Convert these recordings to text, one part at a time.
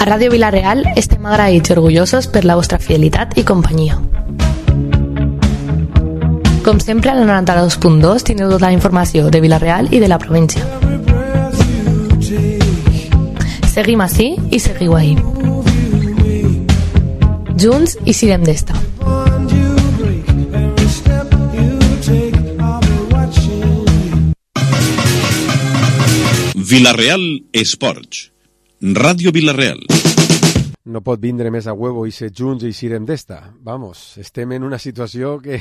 A Ràdio Vila-real estem agraïts i orgullosos per la vostra fidelitat i companyia. Com sempre, a la 92.2 tindreu tota la informació de Vila-real i de la província. Seguim ací i seguiu ahí. Junts i sirem d'esta. Vila-real Esports. Ràdio Vila-real. No pot vindre més a huevo i ser junts i sirem d'esta. Vamos, estem en una situació que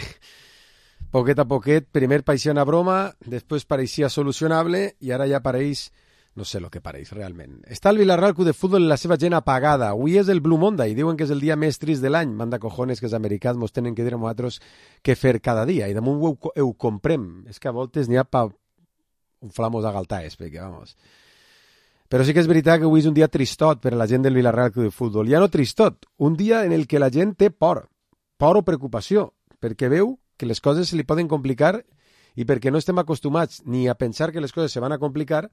poquet a poquet, primer pareixia una broma, després pareixia solucionable i ara ja pareix, no sé el que pareix realment. Està el Vila-real Club de Futbol i la seva gent apagada. Avui és el Blue Monday, diuen que és el dia més trist de l'any. Manda cojones que els americans mos tenen que dir a nosaltres què fer cada dia i damunt ho comprem. És que a voltes n'hi ha pa un flamos a galtaes, perquè vamos. Però sí que és veritat que avui és un dia tristot per a la gent del Vila-real Club de Futbol. Ja no tristot, un dia en el que la gent té por o preocupació, perquè veu que les coses se li poden complicar i perquè no estem acostumats ni a pensar que les coses se van a complicar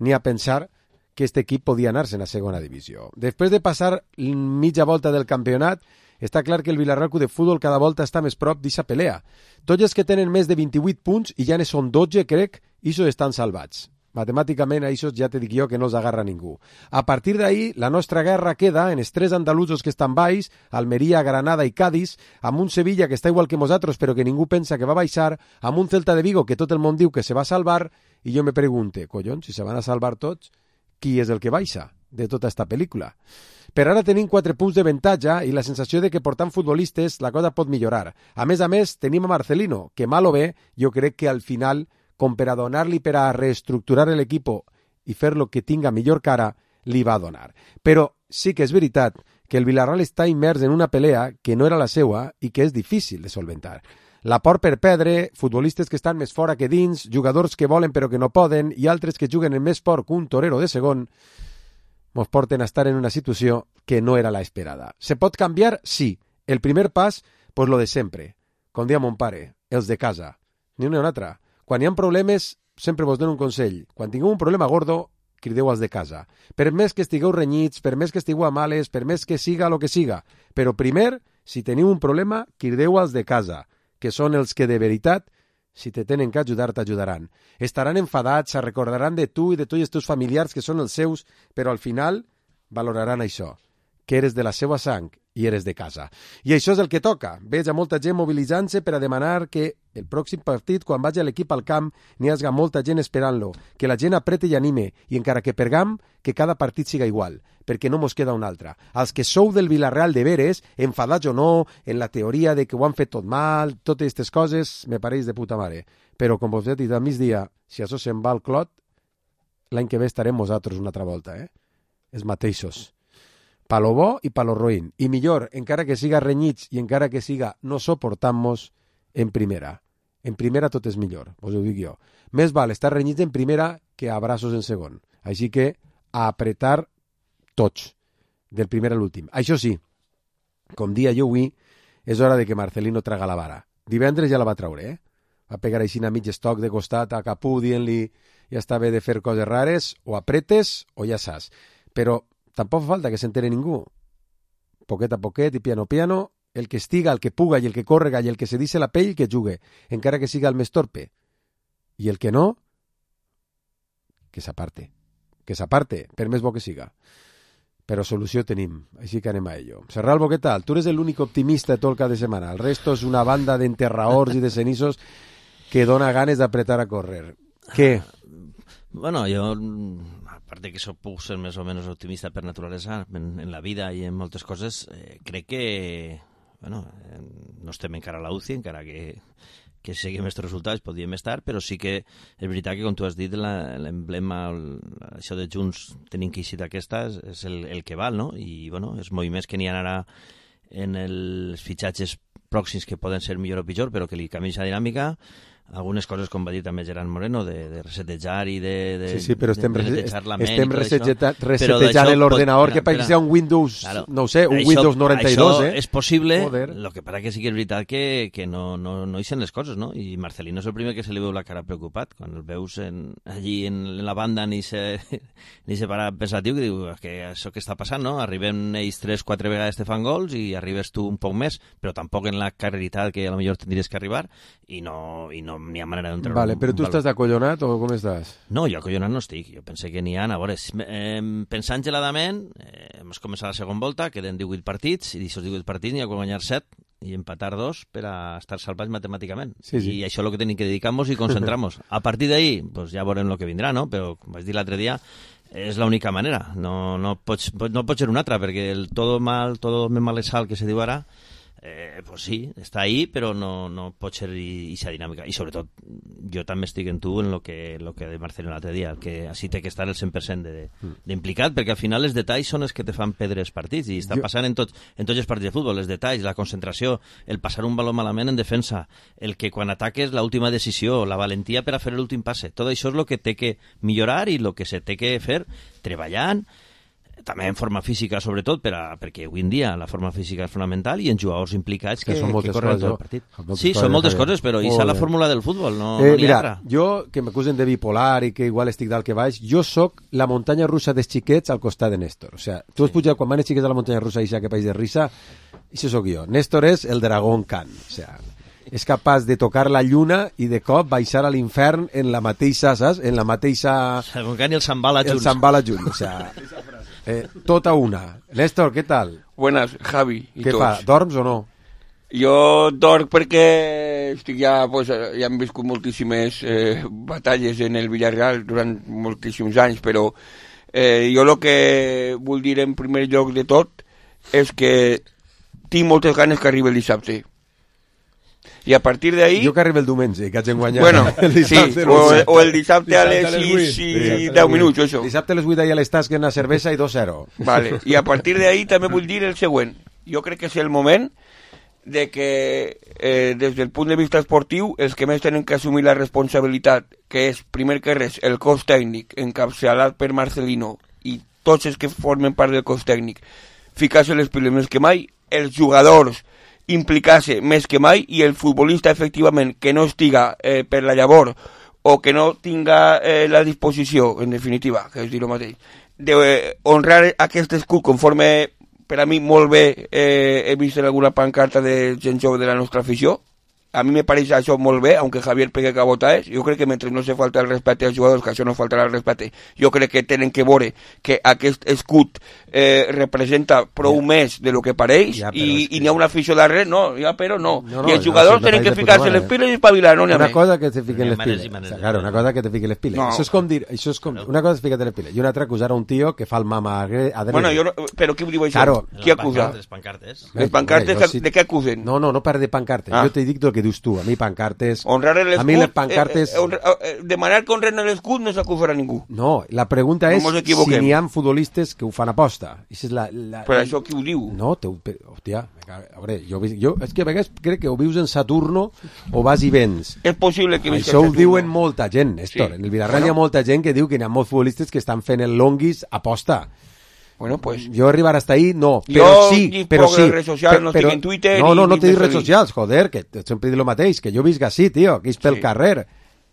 ni a pensar que aquest equip podia anar-se'n a segona divisió. Després de passar mitja volta del campionat, està clar que el Vila-real Club de Futbol cada volta està més prop d'aquesta pelea. Tots els que tenen més de 28 punts, i ja ne són 12, crec, ixos estan salvats. Matemàticament, a ixos ja te dic jo que no els agarra ningú. A partir d'ahir, la nostra guerra queda en els 3 andalusos que estan baix, Almeria, Granada i Cádiz, amb un Sevilla que està igual que nosaltres però que ningú pensa que va baixar, amb un Celta de Vigo que tot el món diu que se va salvar, i jo me pregunte, collons, si se van a salvar tots, qui és el que baixa de tota esta pel·lícula? Per ara tenim 4 punts de avantatge i la sensació de que portant futbolistes la cosa pot millorar. A més, tenim a Marcelino, que mal o bé, jo crec que al final, com per a donar-li per a reestructurar l'equip i fer-lo que tinga millor cara, li va donar. Però sí que és veritat que el Vila-real està immers en una pelea que no era la seua i que és difícil de solventar. La por per perdre, futbolistes que estan més fora que dins, jugadors que volen però que no poden i altres que juguen en més por que un torero de segon, mos porten a estar en una situació que no era la esperada. Se pot canviar? Sí. El primer pas, pues lo de sempre. Com dia mon pare, els de casa. Ni una ni una altra. Quan hi ha problemes, sempre vos dono un consell. Quan tingueu un problema gordo, crideu als de casa. Per més que estigueu renyits, per més que estigueu a males, per més que siga el que siga. Però primer, si teniu un problema, crideu als de casa, que són els que de veritat, si te tenen que ajudar, t'ajudaran. Estaran enfadats, se recordaran de tu i de tots els teus familiars que són els seus, però al final valoraran això, que eres de la seva sang i eres de casa. I això és el que toca. Veig a molta gent mobilitzant-se per a demanar que el pròxim partit, quan vagi l'equip al camp, n'hi hagi molta gent esperant-lo, que la gent aprete i anime, i encara que pergam, que cada partit siga igual, perquè no mos queda un altre. Els que sou del Vila-real de veres, enfadats o no, en la teoria de que ho han fet tot mal, totes aquestes coses, me pareix de puta mare. Però, com vos he dit al migdia, si això se'n va al clot, l'any que ve estarem nosaltres una altra volta, els mateixos. Pa lo bo i pa lo roïn. I millor, encara que siga renyits i encara que siga no soportam-nos en primera. En primera tot és millor, us ho dic jo. Més val estar renyits en primera que abraços en segon. Així que a apretar tots, del primer a l'últim. Això sí, com dia jo avui, és hora de que Marcelino traga la vara. Divendres ja la va traure, Va pegar així a mig estoc de costat a Capú dient-li ja està bé de fer coses rares, o apretes o ja saps. Però tampoc fa falta que s'entere ningú. Poquet a poquet i piano piano, el que estiga, el que puga i el que córrega i el que se dice la pell que jugue, encara que siga el més torpe. I el que no, que s'aparte. Que s'aparte, per més bo que siga. Però solució tenim, així que anem a ello. Serralbo, què tal? Tu eres l'únic optimista de tot el cap de setmana. El resto és una banda d'enterraors i de cenissos que dona ganes d'apretar a córrer. Què? Bueno, jo, aparte que puc ser més o menys optimista per naturalesa en la vida i en moltes coses, crec que no estem encara a la UCI, encara que seguim aquests resultats, podríem estar, però sí que és veritat que, com tu has dit, l'emblema, això de Junts tenim que eixir d'aquesta, és el que val, no? I, bueno, els moviments que n'hi ha ara en els fitxatges pròxims que poden ser millor o pitjor, però que li canviïn la dinàmica, algunes coses, com va dir també Gerard Moreno, de resetejar i de sí, però estem netejar la ment. Estem resetejant l'ordenador que pareix un Windows, claro, no ho sé, un Windows 92, Això és possible, el que passa que sí que és veritat que no hi sent les coses, no? I Marcelino és el primer que se li veu la cara preocupat, quan el veus allí en la banda ni se para pensatiu, que diu que això que està passant, no? Arribem ells 3-4 vegades te fan gols i arribes tu un poc més, però tampoc en la carreritat que a lo millor tindries que arribar i no n'hi ha manera d'entrar. Vale, però tu estàs acollonat o com estàs? No, jo acollonat no estic. Jo pense que n'hi ha, a veure, pensant geladament, hem començat la segona volta, queden 18 partits, i d'aquests 18 partits n'hi ha que guanyar 7 i empatar 2 per a estar salvats matemàticament. Sí. I això és el que tenim que dedicar-nos i concentrar-nos. A partir d'ahí, pues ja veurem el que vindrà, no? Però, com vaig dir l'altre dia, és l'única manera. No pots ser una altra, perquè el todo me mal sal que se diu ara, pues sí, està ahí, però no pot ser aquesta dinàmica. I sobretot, jo també estic en tu en lo que de Marcelo l'altre dia, que així té que estar el 100% d'implicat, perquè al final els detalls són els que te fan perdre els partits, i està passant en tots els partits de futbol, els detalls, la concentració, el passar un baló malament en defensa, el que quan ataques l'última decisió, la valentia per a fer l'últim passe, tot això és el que té que millorar i el que se té que fer treballant, també en forma física, sobretot, perquè avui en dia la forma física és fonamental i en jugadors implicats que corren tot el partit. Sí, són moltes coses, però és la fórmula del futbol, no n'hi ha altra. Jo, que m'acusen de bipolar i que igual estic dalt que baix, jo sóc la muntanya russa dels xiquets al costat de Néstor. O sigui, tu has pujat quan van els xiquets a la muntanya russa i que país de risa, això sóc jo. Néstor és el dragón Khan, o sigui, és capaç de tocar la lluna i de cop baixar a l'infern en la mateixa, saps? En la mateixa... Dragón Khan i el Zambala junts. El Zambala junts, o sigui... tota una. Néstor, què tal? Buenas, Javi. Què fa? Dorms o no? Jo dorm perquè estic ja hem viscut moltíssimes batalles en el Villarreal durant moltíssims anys, però jo el que vull dir en primer lloc de tot és que tinc moltes ganes que arribi el dissabte. I a partir d'ahí... Jo que arriba el diumenge, que haig guanyat. Bueno, sí, o el dissabte a les 6 i 10 minuts, això. Dissabte a les 8 a les tasques una cervesa i 2-0. Vale, i a partir d'ahí també vull dir el següent. Jo crec que és el moment de que, des del punt de vista esportiu, els que més tenen que assumir la responsabilitat, que és, primer que res, el cos tècnic, encapçalat per Marcelino, i tots els que formen part del cos tècnic, ficar-se les piles més que mai, els jugadors implicar-se més que mai i el futbolista efectivament que no estiga per la llavor o que no tinga la disposició, en definitiva, que és dir el mateix, d'honrar aquest escut conforme per a mi molt bé he vist en alguna pancarta de gent jove de la nostra afició. A mi me pareix això molt bé, aunque Javier pegue cabotaes. Jo crec que mentre no se falta el respecte als jugadors, que això no faltarà el respecte, jo crec que tenen que veure que aquest escut representa prou més de lo que pareix, i n'hi ha una afició darrere, I els jugadors tenen que ficar-se les piles i espavilar, no n'hi ha més. Una cosa que te fiquen les piles. Claro, una cosa que te fiquen les piles. Això és com dir, una cosa és ficar-te les piles i una altra acusar a un tio que fa el mama adrede. Bueno, però qui ho diu això? Qui acusa? Les pancartes. Les pancartes de què acusen? No parle de pancartes. Jo t'he dit el que dius tu. A mi pancartes... A mi les pancartes... Demanar que honren l'escut no s'acusarà ningú. No, la pregunta és si n'hi ha futbolistes que ho fan aposta. Però això qui ho diu? No, hòstia, a veure, jo és que a vegades crec que o vius en Saturno o vas i vens. És possible que visca això ho diuen molta gent, Néstor. En el Villarreal hi ha molta gent que diu que n'hi ha molts futbolistes que estan fent el longuis aposta. Bueno, pues... Jo arribar hasta ahí, no, però sí. Però en redes socials, no estic en Twitter... No te dic redes socials, joder, que sempre dic el mateix, que jo visc així, tio, que és pel carrer.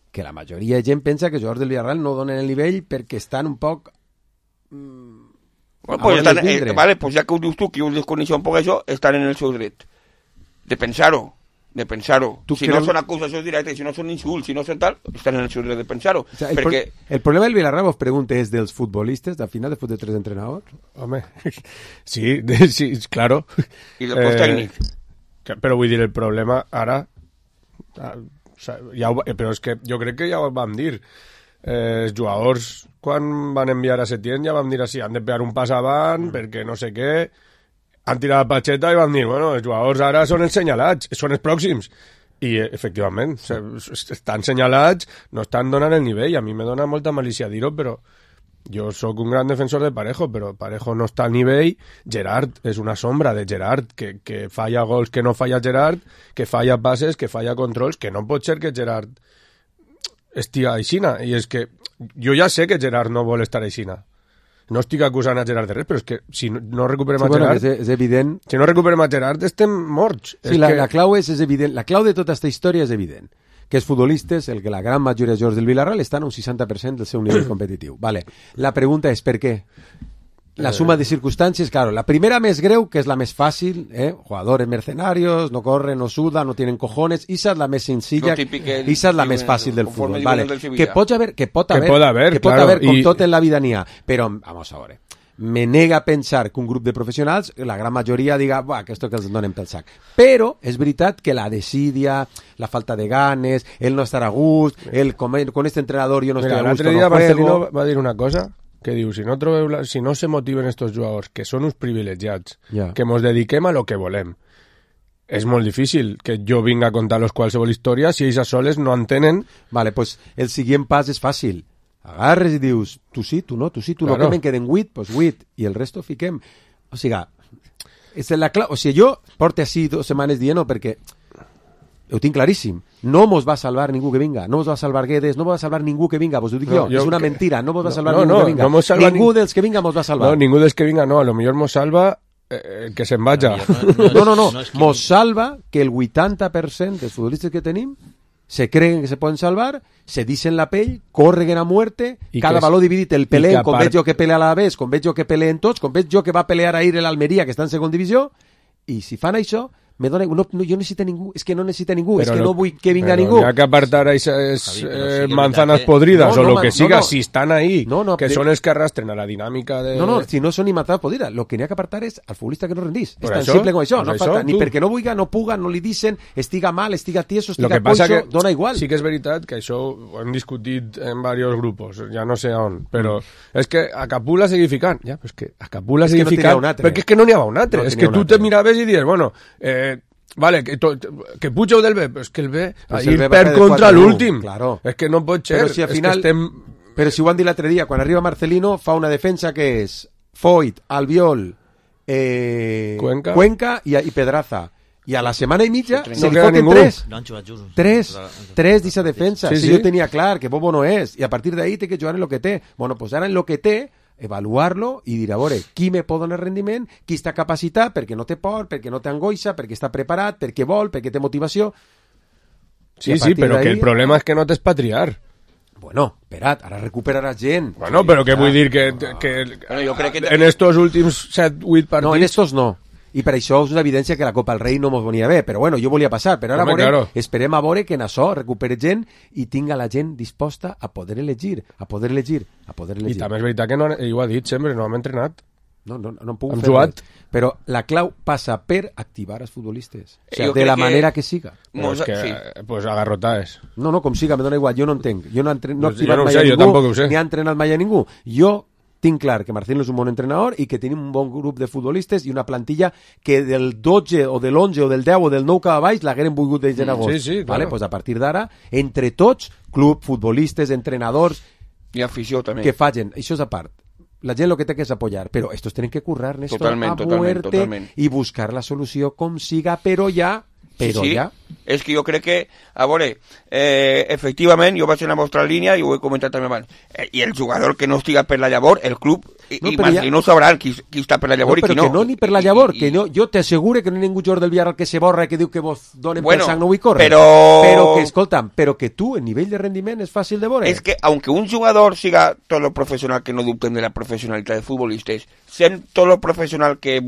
Que la majoria de gent pensa que els jugadors del Villarreal no donen el nivell perquè estan un poc... Bueno, pues vale, pues ja que ho dius tu, que ho desconeixo un poc això, estan en el seu dret. De pensar-ho. Si no són acusacions directes, si no són insults, si no són tal, estan en el seu dret de pensar-ho. O sea, el problema del Villarreal, vos pregunto, ¿es de los futbolistas, al final, después de 3 entrenadores? Hombre, sí, claro. I del cos tècnic. Però vull dir, el problema ara... però és que jo crec que ja ho vam dir. Els jugadors, quan van enviar a Setién, ja vam dir així, han de pegar un pas avant, perquè no sé què... Han tirat la patxeta i van dir, bueno, els jugadors ara són els senyalats, són els pròxims. I, efectivament, estan senyalats, no estan donant el nivell. A mi me dona molta malícia dir-ho, però Jo sóc un gran defensor de Parejo, però Parejo no està al nivell. Gerard és una sombra de Gerard, que falla gols que no falla Gerard, que falla passes, que falla controls, que no pot ser que Gerard estigui aixina. I és que jo ja sé que Gerard no vol estar aixina. No estic acusant a Gerard de res, però és que si no recuperem a Gerard... És evident. Si no recuperem a Gerard estem morts. Sí, la clau és evident. La clau de tota aquesta història és evident. Que els futbolistes, el que la gran majoria de jugadors del Villarreal estan a un 60% del seu nivell competitiu. Vale. La pregunta és per què? La suma de circunstàncies, claro, la primera més greu, que és la més fàcil, jugadores mercenarios, no corren, no sudan, no tienen cojones, esa es la més senzilla, esa es la més fàcil del fútbol, vale. Que pot haver, com tot en la vida n'hi ha, però, vamos a veure, me nega a pensar que un grup de professionals, la gran majoria diga, buah, que esto que els donen pel sac. Però és veritat que la desídia, la falta de ganes, el no estar a gust, el con este entrenador jo no estic a gust, l'altre dia Marcelino va dir una cosa que diu, si no se motiven estos jugadors, que són uns privilegiats, que mos dediquem a lo que volem, és molt difícil que jo vinga a contar-los qualsevol història si ells a soles no entenen. Vale, pues el següent pas és fàcil. Agarres i dius, tu sí, tu no, claro. Que me'n queden 8, pues 8, i el resto fiquem. O sigui, jo porto així 2 setmanes dient-ho perquè ho tinc claríssim. No mos va salvar ningú que vinga, no mos va salvar Guedes, no mos va salvar ningú que vinga, vos ho dic jo, és una mentira, no mos va salvar ningú que vinga. Ningú dels que vinga mos va salvar. No, ningú dels que vinga no, a lo millor mos salva que se'n vaja. No, mos salva que el 80% dels futbolistes que tenim se creen que se poden salvar, se dicen la pell, corren a muerte, cada valor dividit el peleen, com veig jo que pelea a la vez, com veig jo que peleen tots, com veig jo que va pelear ahir l'Almeria, que està en segona divisió, i si fan això, me dona, no, jo necessito ningú, és que no necessita ningú, és que no vull que vinga ningú. Hi ha que apartar esas manzanas podridas o lo que siga, si estan ahí, que són els que arrastren a la dinàmica de... No, si no són ni manzanas podridas, lo que n'hi ha que apartar és al futbolista que no rendís. És tan simple com això, no falta, ni perquè no vulga, no puga, no li dicen, estiga mal, estiga tieso, estiga coixo, dona igual. Sí que és veritat que això ho hem discutit en diversos grupos, ja no sé on, però és que a Capula seguir ficant, ja, però és que a Capula seguir ficant, perquè és que no n'hi ha un altre, és que tu te miraves i dius, bueno, vale, que Puig del B, però és que el B ahir perd contra l'últim. Claro. És que no pot ser. Però si al final, però si ho han dit l'altre dia, quan arriba Marcelino fa una defensa que és Foyt, Albiol, Cuenca i Pedraza. I a la setmana i mitja se li foten 3 d'aquesta defensa. Si jo tenia clar que Bobo no és, i a partir d'ahí té que jugar en lo que té. Bueno, pues ara en lo que té, evaluar-lo i dir, a veure, qui me pot donar rendiment, qui està capacitat, perquè no té por, perquè no té angoixa, perquè està preparat, perquè vol, perquè té motivació. Sí, però que el problema és que no t'expatriar. Bueno, esperat, ara recuperarà gent. Bueno, però què vull dir que jo crec que en estos últims 7-8 partits... No, en estos no. I per això és una evidència que la Copa del Rei no mos venia bé, però bueno, jo volia passar, però ara esperem a veure que en això recupere gent i tinga la gent disposta a poder elegir. I també és veritat que ell ho ha dit sempre, no hem entrenat. No hem pogut fer res. Però la clau passa per activar els futbolistes. O sigui, de la manera que siga. Pues a garrotades. No, com siga, me dona igual, jo no entenc. Jo no he activat mai a ningú, ni ha entrenat mai a ningú. Jo tinc clar que Marcelino és un bon entrenador i que tenim un bon grup de futbolistes i una plantilla que del 12 o de l'11 o del 10 o del 9 cap a baix l'hagueren volgut de gent a agost. Sí, vale? Pues a partir d'ara, entre tots, club, futbolistes, entrenadors... I afició també. Que facin, això és a part. La gent lo que té que és apoyar, però estos tenen que currar, Néstor, a muerte i buscar la solució com siga, però ja... És que jo crec que, a veure, efectivament, jo vaig en la vostra línia i ho he comentat també abans, i el jugador que no estiga per la llavor, el club i Marcelino sabran qui està per la llavor i qui no. Però que no ni per la llavor, que no, jo t'asseguro que no hi ha ningú jugador del Villarreal que se borra i que diu que vos donen per sang, no vull córrer. Però que, escolta'm, però que tu, el nivell de rendiment és fàcil de veure. És que, aunque un jugador siga tot lo professional, que no dubten de la professionalitat de futbolistes, sent tot lo professional que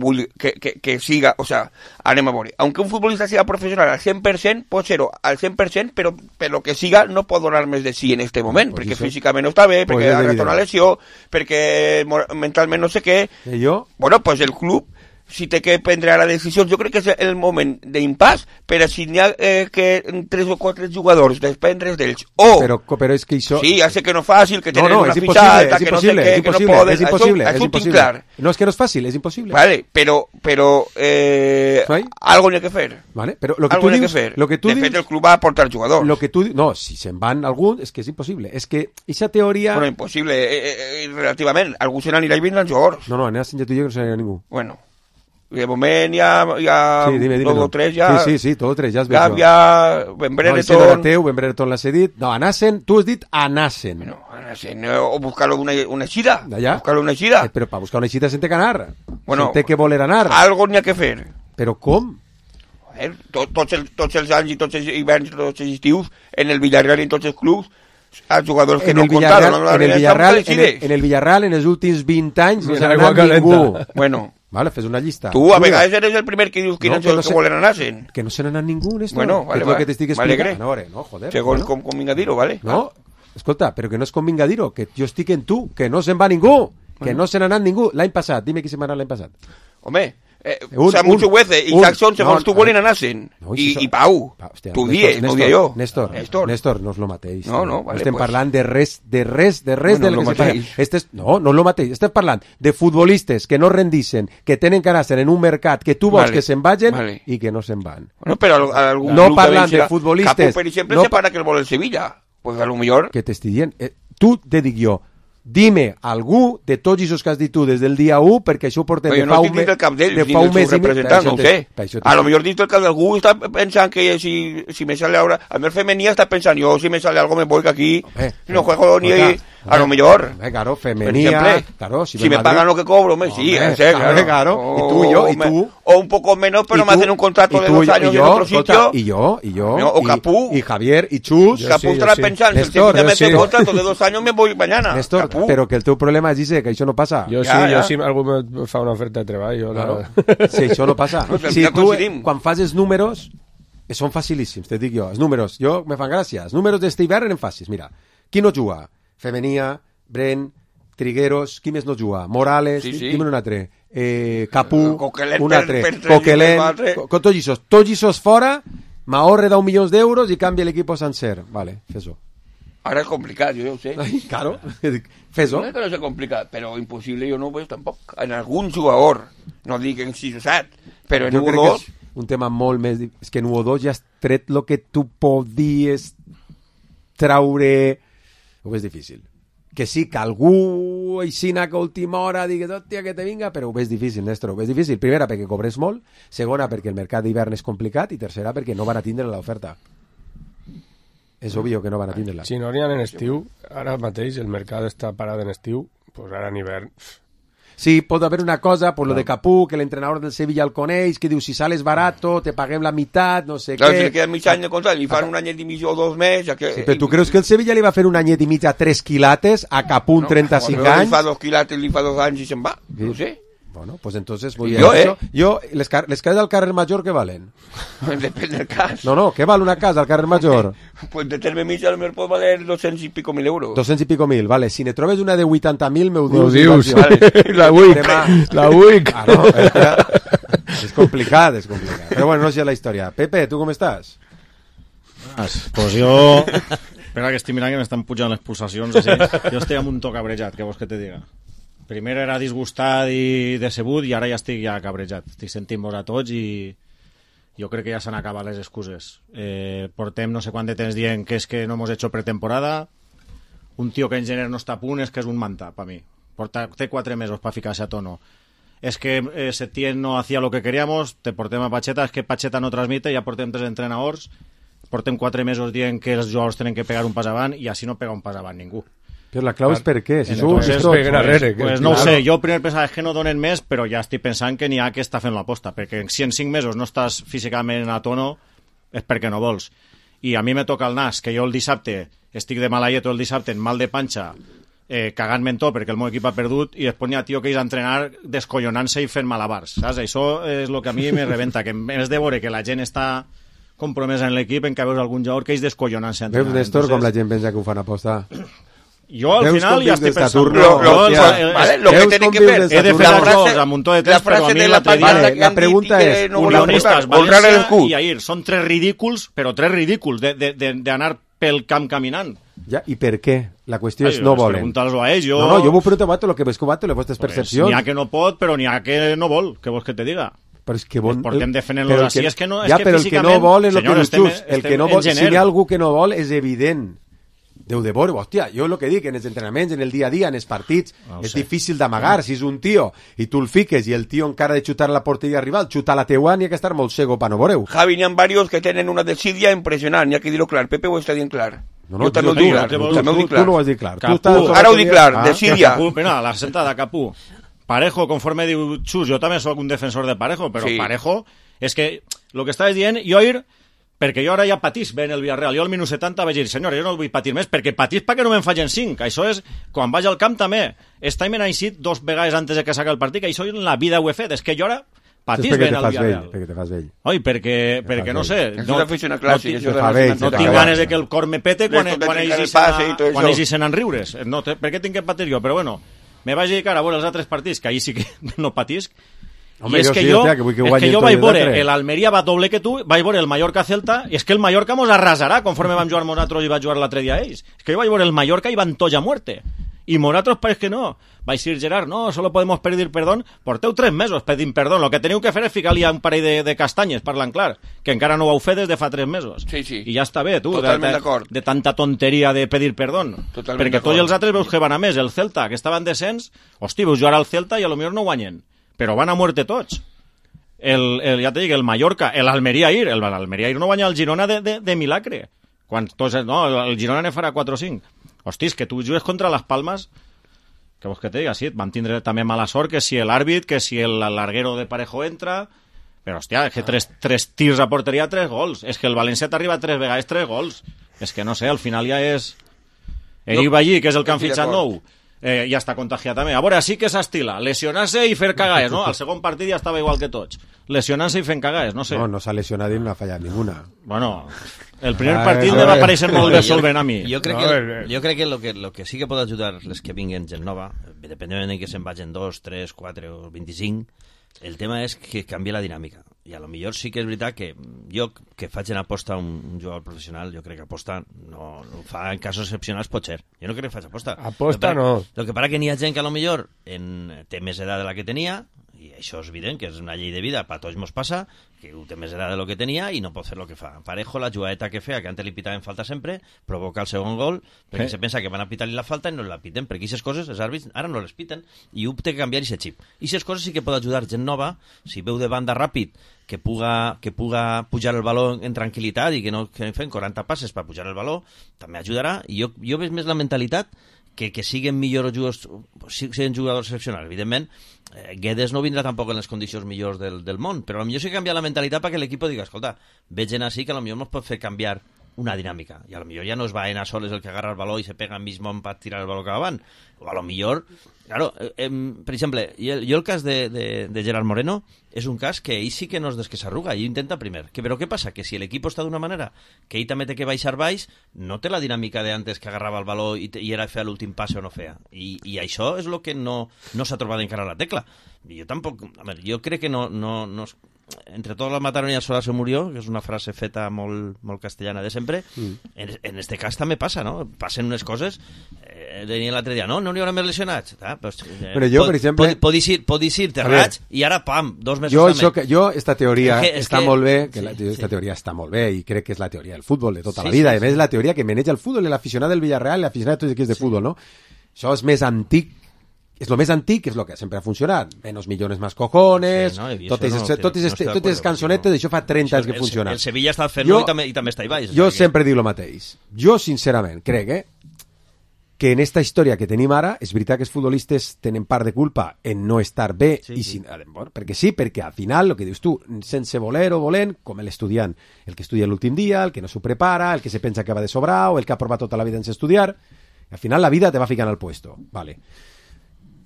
siga, o sea, anem a veure, aunque un futbolista siga professional al 100%, pot ser-ho al 100%, però per lo que siga no pot donar més de sí en este moment, perquè físicament no està bé, perquè ha agafat una lesió, perquè mentalment no sé què. Bueno, pues el club si té que prendre ara decisions. Jo crec que és el moment d'impàs per a si n'hi ha que 3 o 4 jugadors desprendre's d'ells. Però és que això... Sí, ja sé que no és fàcil, que tenen una és fitxada, impossible, que no sé què, que no poden... és impossible, això és ho tinc impossible. clar. No, és que no és fàcil, és impossible. Vale, però algo n'hi ha que fer. Vale, però lo que Algo tu n'hi ha dius... que fer. Lo que tu de dius, fet, el club va aportar jugadors. Lo que tu, no, si se'n van alguns, és que és impossible. És que aquesta teoria... Bueno, impossible, relativament. Algú se n'anirà i vindran jugadors. No, n'hi ha sentit tu i jo que no se n'anirà ningú. Bueno, de moment ja Sí, dime, dos o tres ja... Sí, tot o tres, ja es veu. Gàbia, Ben Brereton... No, el teu, Ben Brereton l'ha cedit. No, anassen, tu has dit anassen. Bueno, o buscar una eixida. D'allà? Buscar una eixida. Però per buscar una eixida se'n té que anar. Bueno, se'n té que voler anar. Algo n'hi ha que fer. Però com? Tots els anys i tots els hiverns, tots els estius, en el Villarreal i en tots els clubs, els jugadors que En no el comptaven... Villarreal, en els últims 20 anys, no Ni s'ha l'aigua anat ningú. calenta. Bueno, Vale, fes una llista. tu a vegades eres el primer que dius quins No, són els que que volen anar-se'n. Que no se n'ha anat ningú, Néstor. Bueno, que és el que t'estic explicant. No, joder. Segons bueno. com vinga dir-ho, vale? No, escolta, però que no es convinga dir-ho, que jo estic en tu, que no se'n va ningú, que no se n'ha anat ningú. L'any passat, dime qui se'n va anar l'any passat. Home, Samuel Chuguece i Jackson, segons tu volen anar-se'n. No, I Pau, hòstia, tu Néstor, ho dia jo. Néstor, no és lo mateix. No, vale, estem pues. parlant de res Bueno, del lo que se parla. mateix. No és lo mateix. Estem parlant de futbolistes que no rendixen, que tenen que anar-se'n en un mercat, que tu vols Vale, que se'n vagin vale. i que no se'n van. Bueno, però algun No club parlant també de futbolistes, Capu, per exemple, no se para que el vol el Sevilla. Pues a lo millor... Que t'estic dient, tu te dic jo, dime algú de tots els que has dit tu des del dia 1, perquè això ho portem Però jo no estic dins del cap d'ells, ni del seu representant, no ho sé. A lo millor dins del cap d'algú està pensant que si me sale ahora... A mi el femení està pensant, yo si me sale algo me voy que aquí no juego ni... A lo mejor. Claro, femenía, claro, si me pagan lo que cobro, sí, claro. Y tú. O un poco menos, pero me hacen un contrato de 2 años en otro sitio. Y yo. O Capú. Y Javier, y Chus. Capú estarà pensant, si el Sevilla me hace un contrato de 2 años, me voy mañana. Néstor, però que el teu problema és que això no passa. Jo si algú me fa una oferta de treball, Sí, això no passa. Si tu, quan fas els números, són facilíssims, te dic jo. Els números, me fan gràcia. Els números d'este hivern eren fàcils. Mira, qui no juga? Femenia, Bren, Trigueros, qui més no juga? Morales, dime un altre. Capú, un altre. Coquelin, tots aquests fora, m'ahorre 10 milions d'euros i canvia l'equip sencer. Vale, fes-ho. Ara és complicat, jo ja ho sé. Claro, fes-ho. No és que no sigui complicat, però impossible jo no ho veig tampoc. En algun jugador, no dic en 6 o 7, però en 1 o 2... Un tema molt més... És que en 1 o 2 ja has tret el que tu podies traure... Ho és difícil. Que sí, que algú aixina que a última hora digues, hòstia, que te vinga, però ho és difícil, Néstor, ho és difícil. Primera, perquè cobres molt. Segona, perquè el mercat d'hivern és complicat. I tercera, perquè no van a tindre l'oferta. És obvi que no van a tindre-la. Si no n'hi ha en estiu, ara mateix el mercat està parat en estiu, doncs ara en hivern... Sí, pot haver una cosa, por lo de Capú, que l'entrenador del Sevilla el coneix, que diu, si sales barato, te paguem la meitat, no sé claro, què... Si li queden mig any de contrat, li fan un anyet i mig o 2 més... Ja que... Sí, però tu creus que el Sevilla li va fer un anyet i mig a 3 quilates, a Capú 35 anys? Li fa 2 quilates, li fa 2 anys i se'n va, no sé. Bueno, pues entonces voy a eso. Yo, les cases al carrer Major, ¿qué valen? Depende del cas. No, ¿qué vale una casa al carrer Major? Pues de terme mig a lo mejor pot valer 200 i pico mil euros. 200 i pico mil, vale. Si ne trobes una de 80.000, m'ho dius. Vale. La UIC. Claro, és complicat. Però bueno, no sé la història. Pepe, tu com estàs? Pues jo... Espera que estic mirant que m'estan pujant les pulsacions. Així. Jo estic amb un to cabrejat, què vols que te diga? Primer era disgustat i decebut i ara ja estic cabrejat. Estic sentint-vos a tots i jo crec que ja s'han acabat les excuses. Portem no sé quant de temps dient que és que no hemos hecho pretemporada. Un tio que en gener no està a punt és que és un manta, per mi. Té 4 mesos per ficar-se a tono. És que Setién no hacía lo que queríamos, te portem a Pacheta, és que Pacheta no transmite, ja portem 3 entrenadors, portem 4 mesos dient que els jugadors tenen que pegar un pas avant i així no pega un pas avant ningú. Però la clau és per què? Si pues no ho sé, jo primer pensava que no donen més, però ja estic pensant que n'hi ha que està fent l'aposta, perquè si en 5 mesos no estàs físicament a tono és perquè no vols. I a mi me toca el nas, que jo el dissabte estic de mala llet, el dissabte en mal de panxa, cagant-me en tot perquè el meu equip ha perdut i després n'hi ha tio que és a entrenar descollonant-se i fent malabars, saps? Això és el que a mi me rebenta, que en vez de veure que la gent està compromesa en l'equip, en què veus algun jugador que és descollonant-se a entrenar. Veus, Néstor, com la gent pensa que ho fan aposta? Jo al final ja estic pensant... Lo que tienen que fer... He de fer els gols a muntó de temps, però a mi l'altre dia... La pregunta és... Unionistes, València i Ahir, són 3 ridículs, però 3 ridículs d'anar pel camp caminant. Ja, i per què? La qüestió és no volen. Pregunta'ls-ho a ells. No, jo m'ho pregunto a vosaltres, lo que ves que les vostres percepcions. N'hi ha que no pot, però n'hi ha que no vol. Què vols que te diga? Però és que bon... Portem defendent-los així, és que no... Ja, però el que no vol és el que dius tu. El que no vol, si hi ha algú que no vol, és evident. Déu de veure, hòstia, jo el que dic, en els entrenaments, en el dia a dia, en els partits, és difícil d'amagar. Si és un tio i tu el fiques i el tio encara de xutar la porteria rival, xutar la teua, n'hi ha que estar molt cego per no veure-ho. Javi, n'hi ha varios que tenen una desídia impressionant, n'hi ha que dir-ho clar. Pepe ho està dient clar. No, jo també ho dic clar. Tu no ho has dit clar. Ara ho dic clar, desídia. Capú, mira, la sentada, Capú. Parejo, conforme diu Xus, jo també soc un defensor de Parejo, però Parejo, és que el que estaves dient, jo perquè jo ara ja patís bé en el Villarreal. Jo al minut 70 vaig dir, senyor, jo no vull patir més, perquè patís perquè no me'n facin 5. Això és, quan vaig al camp també. Estem en així 2 vegades antes de que s'acabi el partit, que això en la vida ho he fet. És que jo ara patís bé en el Villarreal. Perquè te fas vell. Oi, perquè no sé. No tinc ganes de que el cor me pete quan ells hi senen riures. Per què tinc que patir jo? Però bueno, me vaig dedicar a veure els altres partits, que ahir sí que no patisc. Home, i és que jo vaig veure l'Almeria va doble que tu, vaig veure el Mallorca-Celta, i és que el Mallorca mos arrasarà conforme vam jugar nosaltres i vaig jugar l'altre dia ells. És que jo vaig veure el Mallorca i van tots a muerte. I nosaltres pareix que no. Vaig dir, Gerard, no, solo podemos pedir perdón. Porteu 3 mesos pedint perdó. Lo que teniu que fer és ficar-li un parell de castanyes, parlant clar, que encara no ho heu fet des de fa 3 mesos. Sí. I ja està bé, tu, de tanta tonteria de pedir perdó. Perquè tots els altres veus que van a més. El Celta, que estava en descens, hosti, veus jugar al Celta i a lo millor no guanyen. Però van a muerte tots. Ja te dic, el Mallorca, l'Almeria ahir no guanya el Girona de milagre. El Girona ne farà 4 o 5. Hosti, és que tu jugues contra les Palmes, que vols que te diga, sí, et van tindre també mala sort, que si l'àrbit, que si el larguero de Parejo entra, però hòstia, és que 3 tirs a porteria, 3 gols. És que el València t'arriba 3 vegades 3 gols. És que no sé, al final ja és... Eric Ballí, que és el que han fitxat nou, ja està contagiat també. A veure, sí que s'estila, lesionar-se i fer cagades, no? Al segon partit ja estava igual que tots. Lesionar-se i fent cagades, no sé. No s'ha lesionat i no ha fallat ninguna. Bueno, el primer partit me va aparèixer molt bé solvent a mi. Jo crec que lo que sí que pot ajudar les que vinguen gent nova, dependent de que se'n vagin 2, 3, 4 o 25, el tema és que canvia la dinàmica. I a lo millor sí que és veritat que jo, que faig en aposta un jugador professional, jo crec que aposta no fa en casos excepcionals pot ser. Jo no crec que faig aposta. Aposta no. El que passa que n'hi ha gent que a lo millor té més edat de la que tenia, i això és evident, que és una llei de vida, a tots mos passa, que ho té més edat de lo que tenia i no pot fer el que fa. Parejo, la jugadeta que feia, que antes li pitaven falta sempre, provoca el segon gol, perquè se pensa que van a pitar-li la falta i no la piten, perquè aquestes coses, els àrbits, ara no les piten, i ho té que canviar aquest xip. I aquestes coses sí que pot ajudar gent nova, si veu de banda ràpid, que puga pujar el baló en tranquil·litat i que no fem 40 passes per pujar el baló, també ajudarà. I jo veig més la mentalitat que siguen millors jugadors excepcionals. Evidentment, Guedes no vindrà tampoc en les condicions millors del món, però potser sí que canvia la mentalitat perquè l'equip digui, escolta, veig gent així que potser ens pot fer canviar una dinàmica, i a lo millor ja no es va a soles el que agarra el baló i se pega en mismo per tirar el baló cap avant, o a lo millor, claro, per exemple, jo el cas de Gerard Moreno és un cas que ell sí que no és des que s'arruga, ell intenta primer, però què passa? Que si l'equip està d'una manera, que ell també té que baixar baix, no té la dinàmica d'antes que agarrava el baló i era fer l'últim passe o no feia, i això és el que no s'ha trobat encara la tecla. Jo tampoc, jo crec que no entre todos los mataron y a sola se murió, que és una frase feta molt castellana de sempre, en este cas també passa, no? Passen unes coses, deien l'altre dia, no hi haurà més lesionats. Però jo, per exemple... Podis ir terrats i ara, pam, 2 mesos també. Jo, esta teoria està molt bé, esta teoria està molt bé, i crec que és la teoria del futbol de tota la vida, a més és la teoria que maneja el futbol, l'aficionat del Villarreal, l'aficionat de tots els equips de futbol, no? Això és més antic, és lo més antic, és lo que sempre ha funcionat. Menos millones más cojones, totes les cançonetes, això fa 30 anys que funciona. El Sevilla està fent-ho i també està hi baix. Jo sempre dic lo mateix. Jo, sincerament, crec que en esta història que tenim ara, és veritat que els futbolistes tenen part de culpa en no estar bé, perquè al final, el que dius tu, sense voler o volent, com l'estudiant, el que estudia l'últim dia, el que no s'ho prepara, el que se pensa que va de sobrar, o el que ha provat tota la vida sense estudiar, al final la vida te va ficant al puesto. Vale.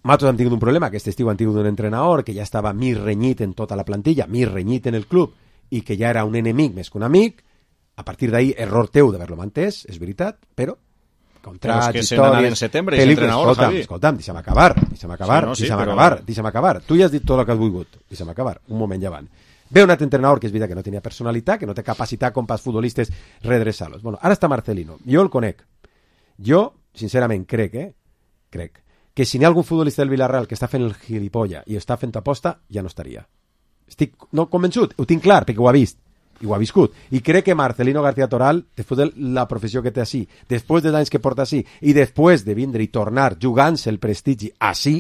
Nosaltres hem tingut un problema, aquest estiu han tingut un entrenador que ja estava més renyit en tota la plantilla, més renyit en el club, i que ja era un enemic més que un amic. A partir d'ahir, error teu d'haver-lo mantès, és veritat, però contrats, que se n'anà en setembre, és entrenador, Javi. Escolta'm, deixa'm acabar. Tu ja has dit tot el que has volgut. Deixa'm acabar. Un moment ja van. Ve un altre entrenador que és veritat que no tenia personalitat, que no té capacitat com pels futbolistes redreçar-los. Bueno, ara està Marcelino. Jo el conec. Jo, sincerament, crec que si n'hi ha algun futbolista del Villarreal que està fent el gilipolla i està fent aposta, ja no estaria. Estic no convençut, ho tinc clar, perquè ho ha vist i ho ha viscut, i crec que Marcelino García Toral, després de la professió que té així, després dels anys que porta així, i després de vindre i tornar jugant-se el prestigi així,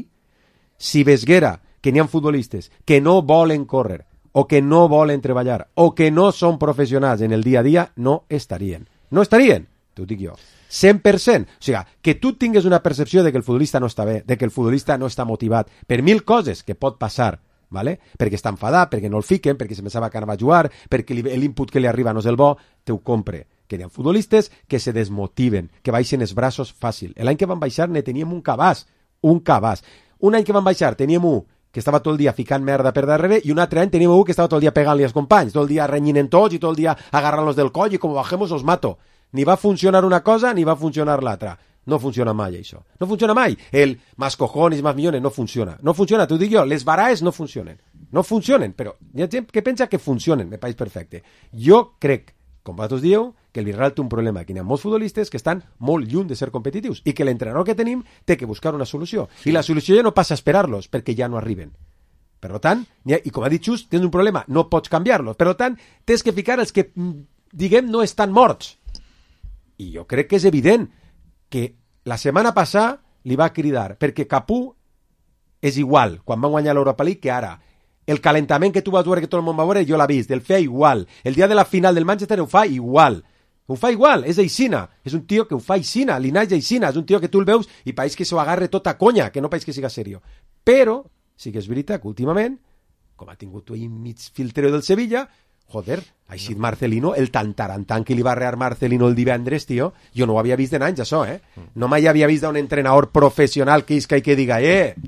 si vesguera que n'hi ha futbolistes que no volen córrer, o que no volen treballar, o que no són professionals en el dia a dia, no estarien. No estarien, t'ho dic jo. 100%. O sigui, que tu tingues una percepció de que el futbolista no està bé, de que el futbolista no està motivat, per 1000 coses que pot passar, ¿vale? Perquè està enfadat, perquè no el fiquen, perquè se pensava que anava a jugar, perquè l'input que li arriba no és el bo, te ho compre. Que hi ha futbolistes que se desmotiven, que baixen els braços fàcil. L'any que van baixar ne teníem un cabàs. Un any que van baixar teníem un que estava tot el dia ficant merda per darrere i un altre any teníem un que estava tot el dia pegant-li als companys, tot el dia renyint en tots i tot el dia agarrant-los del coll i com bajemos os mato. Ni va funcionar una cosa ni va funcionar l'altra. No funciona mai, això. No funciona mai. El más cojones, más millones, no funciona. No funciona, t'ho dic jo. Les baraes no funcionen. No funcionen, però hi ha gent que pensa que funcionen, me pareix perfecte. Jo crec, com vosaltres dieu, que el Villarreal té un problema, que hi ha molts futbolistes que estan molt lluny de ser competitius i que l'entrenador que tenim té que buscar una solució. I la solució ja no passa a esperar-los, perquè ja no arriben. Per tant, i com ha dit Xus, tens un problema, no pots canviar-los. Per tant, tens que ficar els que, diguem, no estan morts. I jo crec que és evident que la setmana passada li va cridar, perquè Capú és igual, quan van guanyar l'Europa League, que ara. El calentament que tu vas veure, que tot el món va veure, jo l'ha vist, el feia igual. El dia de la final del Manchester ho fa igual. Ho fa igual, és aixina. És un tio que ho fa aixina, l'Inai és aixina, és un tio que tu el veus i pareix que s'ho agarre tota conya, que no pareix que siga serio. Però sí que és veritat que últimament, com ha tingut ahí mig filtreo del Sevilla, joder, així Marcelino, el tantarantan que li va rear Marcelino el divendres, tio, jo no ho havia vist en anys, això, No mai havia vist un entrenador professional que isca i que diga,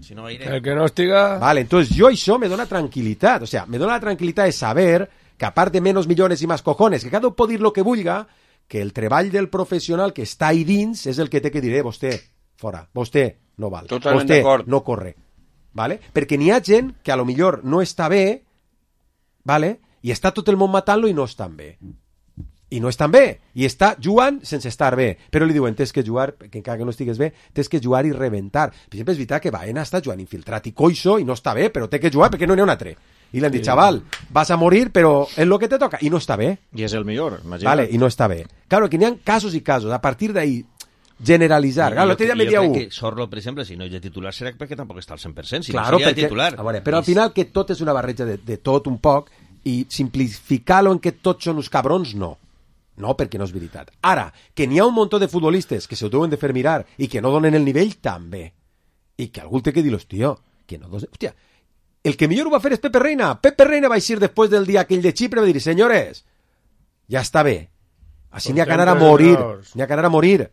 si no, el que no estiga... Vale, entonces jo això me dona tranquil·litat, o sea, me dona la tranquil·litat de saber que a part de menos millones i más cojones, que cada un pot dir lo que vulga, que el treball del professional que està ahí dins és el que té que dir, vostè, fora, vostè no val, totalment vostè d'acord. no corre, vale? Perquè n'hi ha gent que a lo millor no està bé, vale? I està tot el món matant-lo i no estan bé. I no estan bé. I està jugant sense estar bé. Però li diuen, tens que jugar, que encara que no estigues bé, tens que jugar i reventar. Per exemple, és veritat que Baena està jugant infiltrat i coixo i no està bé, però té que jugar perquè no n'hi ha un altre. I li han dit, xaval, vas a morir, però és el que te toca. I no està bé. I és el millor, imagina't. Vale, i no està bé. Claro, que n'hi ha casos i casos. A partir d'ahí, generalitzar. Claro, l'altre dia me dia jo un. crec que Sorlo, per exemple, si no és de titular, serà perquè tampoc està al 100%, si Claro, no seria perquè, titular. a veure, però al final que tot és una barreja de tot un poc i simplificar-lo en que tots són uns cabrons, no. No, perquè no és veritat. Ara, que n'hi ha un munt de futbolistes que se ho deuen de fer mirar i que no donen el nivell, també. I que algú té que dir-los, tio, que no donen... Hòstia, el que millor ho va fer és Pepe Reina. Pepe Reina va eixir després del dia aquell de Xipre, va dir, senyores, ja està bé. Així n'hi ha que anar a morir. N'hi ha que anar a morir.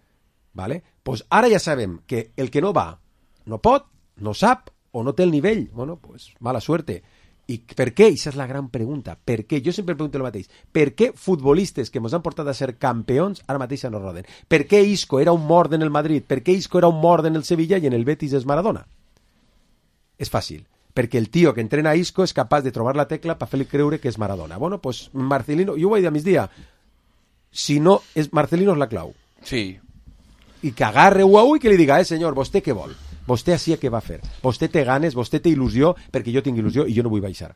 Vale? Pues ara ja sabem que el que no va no pot, no sap o no té el nivell. Bueno, pues mala suerte. I per què? Aquesta és la gran pregunta. Per què? Jo sempre pregunto el mateix. Per què futbolistes que ens han portat a ser campions ara mateix no roden? Per què Isco era un mort en el Madrid? Per què Isco era un mort en el Sevilla i en el Betis és Maradona? És fàcil. Perquè el tio que entrena a Isco és capaç de trobar la tecla per fer-li creure que és Maradona. Bueno, pues Marcelino, jo ho vaig dir a migdia, si no, Marcelino és la clau. Sí. I que agarre u a u i que li diga, senyor, vostè què vol? Vostè així què va fer? Vostè té ganes, vostè té il·lusió, perquè jo tinc il·lusió i jo no vull baixar.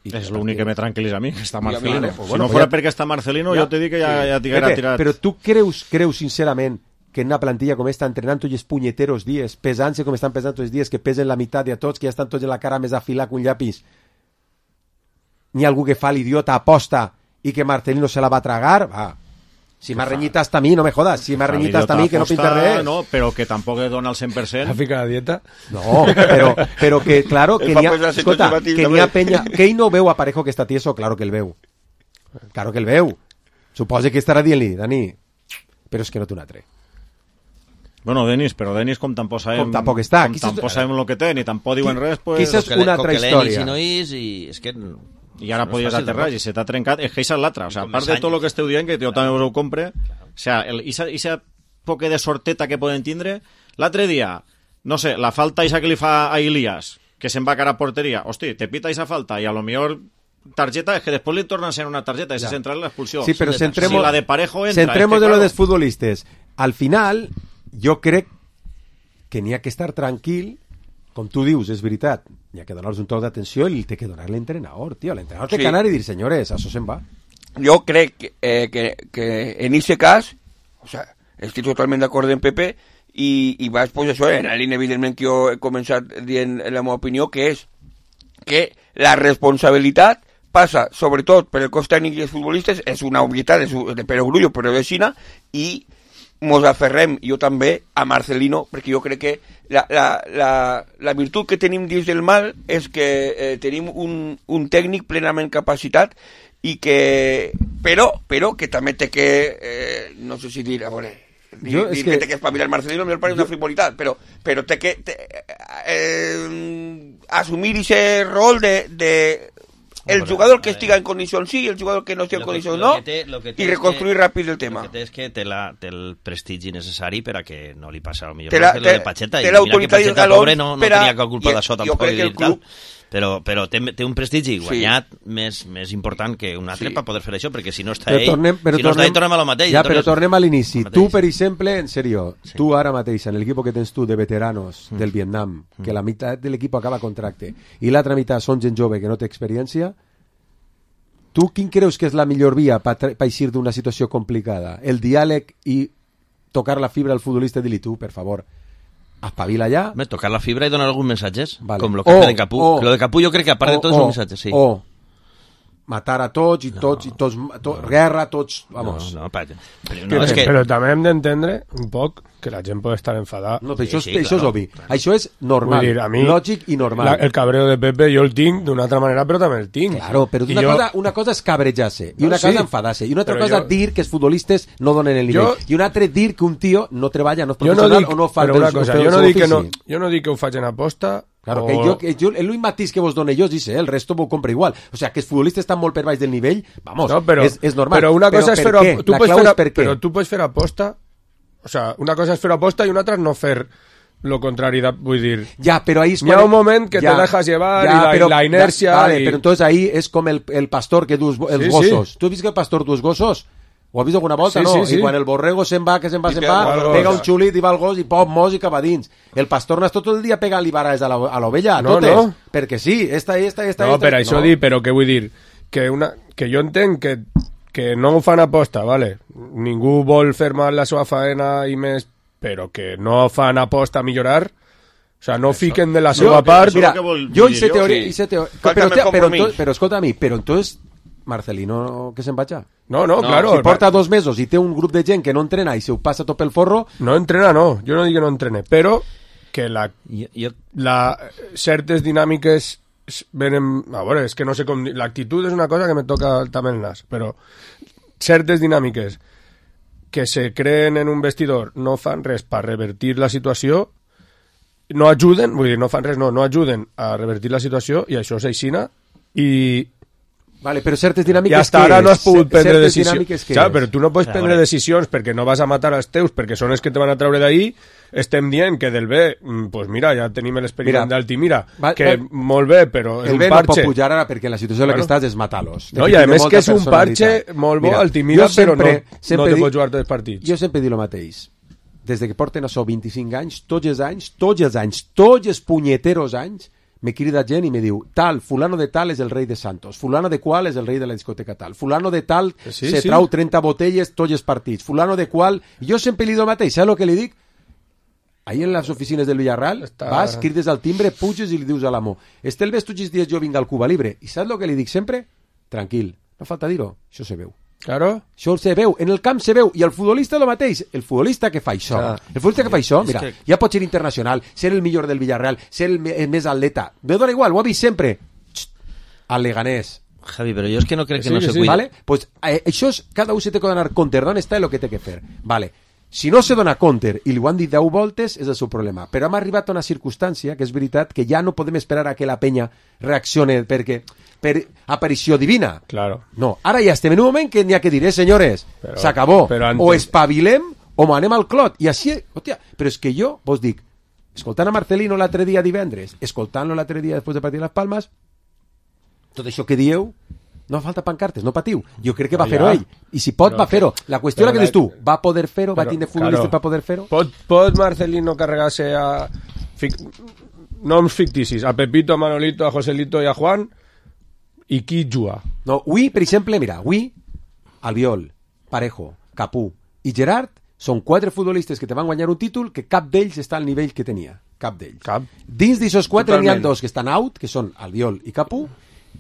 I és l'únic que me tranquil·litza a mi, que està Marcelino. Pues si no fos perquè està Marcelino, jo te dic que ja t'haguera tirat. Però tu creus sincerament que en una plantilla com esta, entrenant tots els punyeteros dies, pesant-se com estan pesant tots els dies, que pesen la meitat de a tots, que ja estan tots en la cara més afilat que un llapis, n'hi ha algú que fa l'idiota aposta i que Marcelino se la va tragar? Va. Si m'ha renyit hasta a mi, no me jodas. Si m'ha renyit hasta a mi, que no pinta res. No, però que tampoc dona el 100%. ¿Ha ficat a dieta? No, però que, claro, que n'hi ha... Escolta, que n'hi ha penya... Que ell no veu a Parejo que està tieso? Claro que el veu. Claro que el veu. Suposa que estarà dient-li, Dani, però és que no té un altre. Bueno, Denis, però Denis com tampoc sabem... Com tampoc està. Com tampoc sabem el que té, ni tampoc diuen res, pues... Quizás és una altra història. Si no és, i és que... I ara podies aterrar i se t'ha trencat. És que això és l'altra. O sea, a part de tot el que esteu dient, que jo també us ho compre, o sea, poc de sorteta que poden tindre. L'altre dia, no sé, la falta que li fa a Ilias, que se'n va cara a porteria, hosti, te pita esa falta i a lo millor tarjeta, es que después le tornan a ser una tarjeta, ese central la expulsió. Sí, pero centremos, si la de Parejo entra, centremos es que, de lo claro, dels futbolistes. Al final, jo crec que n'hi ha que estar tranquil, com tu dius, és veritat, n'hi ha que donar-los un toc d'atenció i té que donar l'entrenador, tio. L'entrenador té que anar i dir, senyores, això se'n va. Jo crec que en aquest cas, o sea, estic totalment d'acord amb Pepe, i vaig posar això en la línia, evidentment, que jo he començat dient la meva opinió, que és que la responsabilitat passa, sobretot, per el cos tècnic i els futbolistes, és una obvietat, és de perogrullo, però de Xina, i mos aferrem, jo també, a Marcelino, perquè jo crec que la virtut que tenim dins del mal és que tenim un tècnic plenament capacitat i que, però que també té que, no sé si dir, a veure, dir que té que espavilar Marcelino, me parece una frivolitat, però té que assumir ese rol de el jugador que estiga en condicions sí, el jugador que no estigui en condicions no, i reconstruir ràpid el tema. El que té és que té el prestigi necessari per a que no li passa al millor lo de Pacheta, i mira que Pacheta pobre no tenia cap culpa d'això tampoc, però té un prestigi guanyat més important que un altre per poder fer això, perquè si no està ell, tornem a lo mateix. Ja, però tornem a l'inici. Tu, per exemple, en serio, tu ara mateix, en l'equip que tens tu de veteranos del Vietnam, que la meitat de l'equip acaba contracte, i l'altra meitat són gent jove que no té experiència, tu quin creus que és la millor via per eixir d'una situació complicada? El diàleg i tocar la fibra al futbolista i dir-li tu, per favor, espavila ja. Tocar la fibra i donar alguns missatges, vale. Com lo que fa de Capú. Lo de Capú jo crec que a part de tots són missatges, sí. O matar a tots i tots, guerra, tots, vamos. Però també hem d'entendre un poc que la gent pot estar enfadada. No, però això és obvi. Això és normal, lògic i normal. El cabreo de Pepe jo el tinc d'una altra manera, però també el tinc. Claro, però una cosa és cabrejar-se, i una cosa enfadar-se, i una altra cosa dir que els futbolistes no donen el nivell, i una altra dir que un tio no treballa, no és professional o no fa el seu ofici. Jo no dic que ho facin aposta. Claro, que jo l'únic matís que vos done jo és el resto m'ho compro igual. O sea, que els futbolistes estan molt per baix del nivell, vamos, no, és normal. Però una cosa és fer-ho, la clau és per què. Però tu pots fer aposta, o sea, una cosa és fer aposta i una altra és no fer lo contrari, vull dir... Ja, però ahí... Hi ha un moment que te dejas llevar i la inèrcia... Vale, però entonces ahí és com el pastor que dus els gossos. Tu has vist que el pastor dus gossos? Ho has vist alguna volta, no? I quan el borrego se'n va, pega un xulit i va al gos i pop, mos i cap a dins. El pastor no és tot el dia pegant-li vares a l'ovella, totes. Perquè sí, esta. No, per això dir, però què vull dir? Que jo entenc que no ho fan aposta, vale? Ningú vol fer mal la seva faena i més, però que no fan aposta a millorar. O sea, no fiquen de la seva part. Mira, jo hice teoria... Però escolta a mi, però entonces... Marcelino, que se'n vaig? No, claro. Si porta 2 mesos i té un grup de gent que no entrena i se ho passa tot pel forro... No entrena, no. Jo no dic que no entrene, però que certes dinàmiques venen... A veure, és que no sé com... L'actitud és una cosa que me toca també el nas, però certes dinàmiques que se creen en un vestidor no fan res per revertir la situació, no ajuden, vull dir, no fan res, no ajuden a revertir la situació, i això és aixina, i... Vale, però certes dinàmiques... I hasta ara no has pogut prendre decisions. Clar, però tu no pots prendre decisions perquè no vas a matar els teus, perquè són els que te van a treure d'ahí. Estem dient que del B, pues mira, ja tenim l'experiment d'Altimira, que molt bé, però és un parche. El B no pot pujar ara perquè la situació en la que estàs és matar-los. No, i a més que és un parche molt bo, Altimira, però no te pots jugar tots els partits. Jo sempre dic el mateix. Des que porten això 25 anys, tots els punyeteros anys, me crida gent i me diu, tal, fulano de tal és el rei de Santos, fulano de qual és el rei de la discoteca tal, fulano de tal se trau 30 botelles tots els partits, fulano de qual... Jo sempre li dic el mateix, saps el que li dic? Ahí en les oficines del Villarreal, vas, crides al timbre, puges i li dius a l'amo, Estelves, tu dies jo vinc al Cuba Libre, i saps el que li dic sempre? Tranquil, no falta dir-ho, això se veu. Claro. Això se veu, en el camp se veu, i el futbolista el mateix, el futbolista que fa això, mira, ja pot ser internacional, ser el millor del Villarreal, ser el més atleta, me dona igual, ho ha vist sempre, al Leganés. Javi, però jo és que no crec que no se cuida. Vale? Pues, això és, cada un se té que donar compte d'on està i el que té que fer. Vale. Si no se dona compte i li ho han dit 10 voltes, és el seu problema. Però hem arribat a una circumstància que és veritat que ja no podem esperar a que la penya reaccione per aparició divina. Claro. No, ara ja estem en un moment que n'hi ha que dir, senyores, s'acabó. O espavilem o anem al clot, i així, hòstia, però és que jo vos dic, escoltant a Marcelino l'altre dia divendres, escoltant-lo l'altre dia després de partir les Palmes, tot això que dieu, no fa falta pancartes, no patiu. Jo crec que va fer-ho ell. I si pot, va fer-ho. La qüestió és la que dius tu, va poder fer-ho, va tindre futbolistes per poder fer-ho? Pot Marcelino carregar-se a noms ficticis, a Pepito, a Manolito, a Joselito i a Juan, i qui juga? No, avui, per exemple, mira, avui, Albiol, Parejo, Capú i Gerard són 4 futbolistes que te van guanyar un títol que cap d'ells està al nivell que tenia. Cap d'ells. Dins d'aixòs 4 n'hi ha 2 que estan out, que són Albiol i Capú,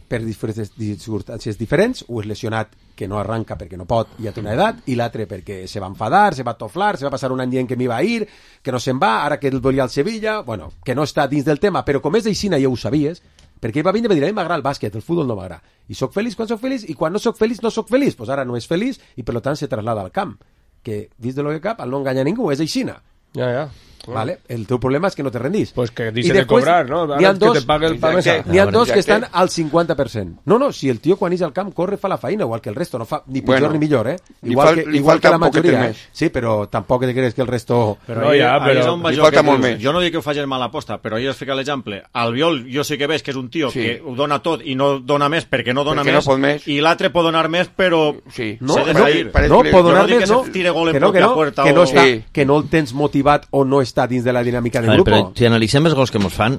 per circumstàncies diferents. Un és lesionat que no arranca perquè no pot i ja té una edat, i l'altre perquè se va enfadar, se va toflar, se va passar un any dient que m'hi va a ir, que no se'n va, ara que el volia al Sevilla, bueno, que no està dins del tema, però com és d'Eixina ja ho sabies, perquè ell va vindre i va dir, a mi m'agrada el bàsquet, el futbol no m'agrada, i soc feliç quan soc feliç, i quan no soc feliç no soc feliç, doncs ara no és feliç i per tant se traslada al camp, que dins de lo que cap, al no enganya ningú, és Aixina. Ja. Vale? El teu problema és que no te rendís. Pues que dice de cobrar, ¿no? N'hi ha dos, que te pague el pamesa. N'hi ha dos que estan al 50%. No, si el tio quan és al camp corre fa la feina, igual que el resto, no fa ni pitjor ni millor, igual que la majoria. Sí, però tampoc te creus que el resto... Però li falta molt més. Jo no dic que ho faci mala aposta, però jo us fico l'exemple. Albiol, jo sí que veig que és un tio que ho dona tot i no dona més perquè no dona més, i l'altre pot donar més, però s'ha de fer. No, pot donar més, no. Que no el tens motivat o no està dins de la dinàmica del grup. Però si analitzem els gols que ens fan,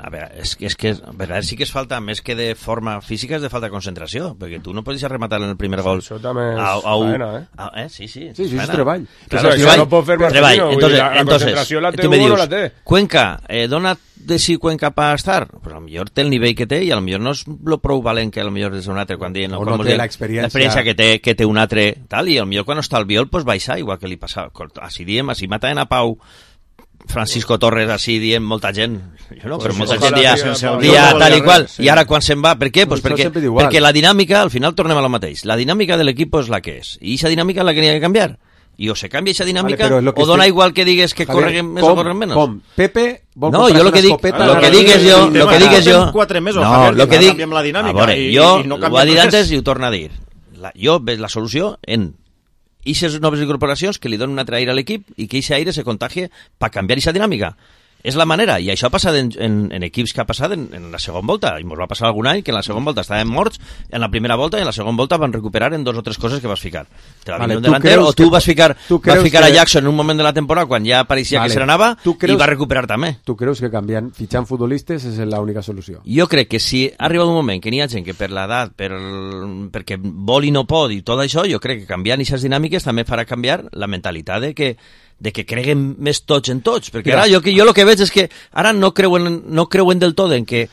a veure, és que a vegades sí que es falta, més que de forma física, és de falta de concentració, perquè tu no pots deixar rematar en el primer gol. Això també és faena, Sí, és treball. Claro, això no pot fer Marcelino, la concentració la té uno o la té. Cuenca, dona de si Cuenca pa estar, pues a lo millor té el nivell que té i a lo millor no és lo prou valent que a lo millor és un altre, quan diuen, o no té l'experiència que té un altre tal, i a lo millor quan està el Albiol pues baixa, igual que li passa, així diem, així mataven a Pau Francisco Torres, així diem molta gent, jo no, però molta gent dia tal i qual, i ara quan se'n va, per què? Pues perquè la dinàmica, al final tornem a lo mateix, la dinàmica de l'equip és la que és, i aquesta dinàmica és la que n'hi ha que canviar, i o se canvia aquesta dinàmica, o dona igual que digues que correguen més o correguen menys. Com? Pepe vol no, jo lo que dic és jo, lo que dic, a veure, jo ho ha dit antes i ho torna a dir, jo veig la solució en aquestes noves incorporacions que li donen un altre aire a l'equip i que aquest aire se contagie per canviar aquesta dinàmica. És la manera, i això ha passat en equips que ha passat en la segona volta, i ens va passar algun any que en la segona volta estàvem morts, en la primera volta i en la segona volta van recuperar en 2 o 3 coses que vas ficar. Te va venir un delanter, o tu vas ficar a Jackson en un moment de la temporada quan ja pareixia que se n'anava i va recuperar també. Tu creus que canviant, fitxant futbolistes és l'única solució? Jo crec que si ha arribat un moment que n'hi ha gent que per l'edat, perquè vol i no pot i tot això, jo crec que canviant aquestes dinàmiques també farà canviar la mentalitat de que creguen més tots en tots, perquè ara jo el que veig és que ara no creuen del tot en que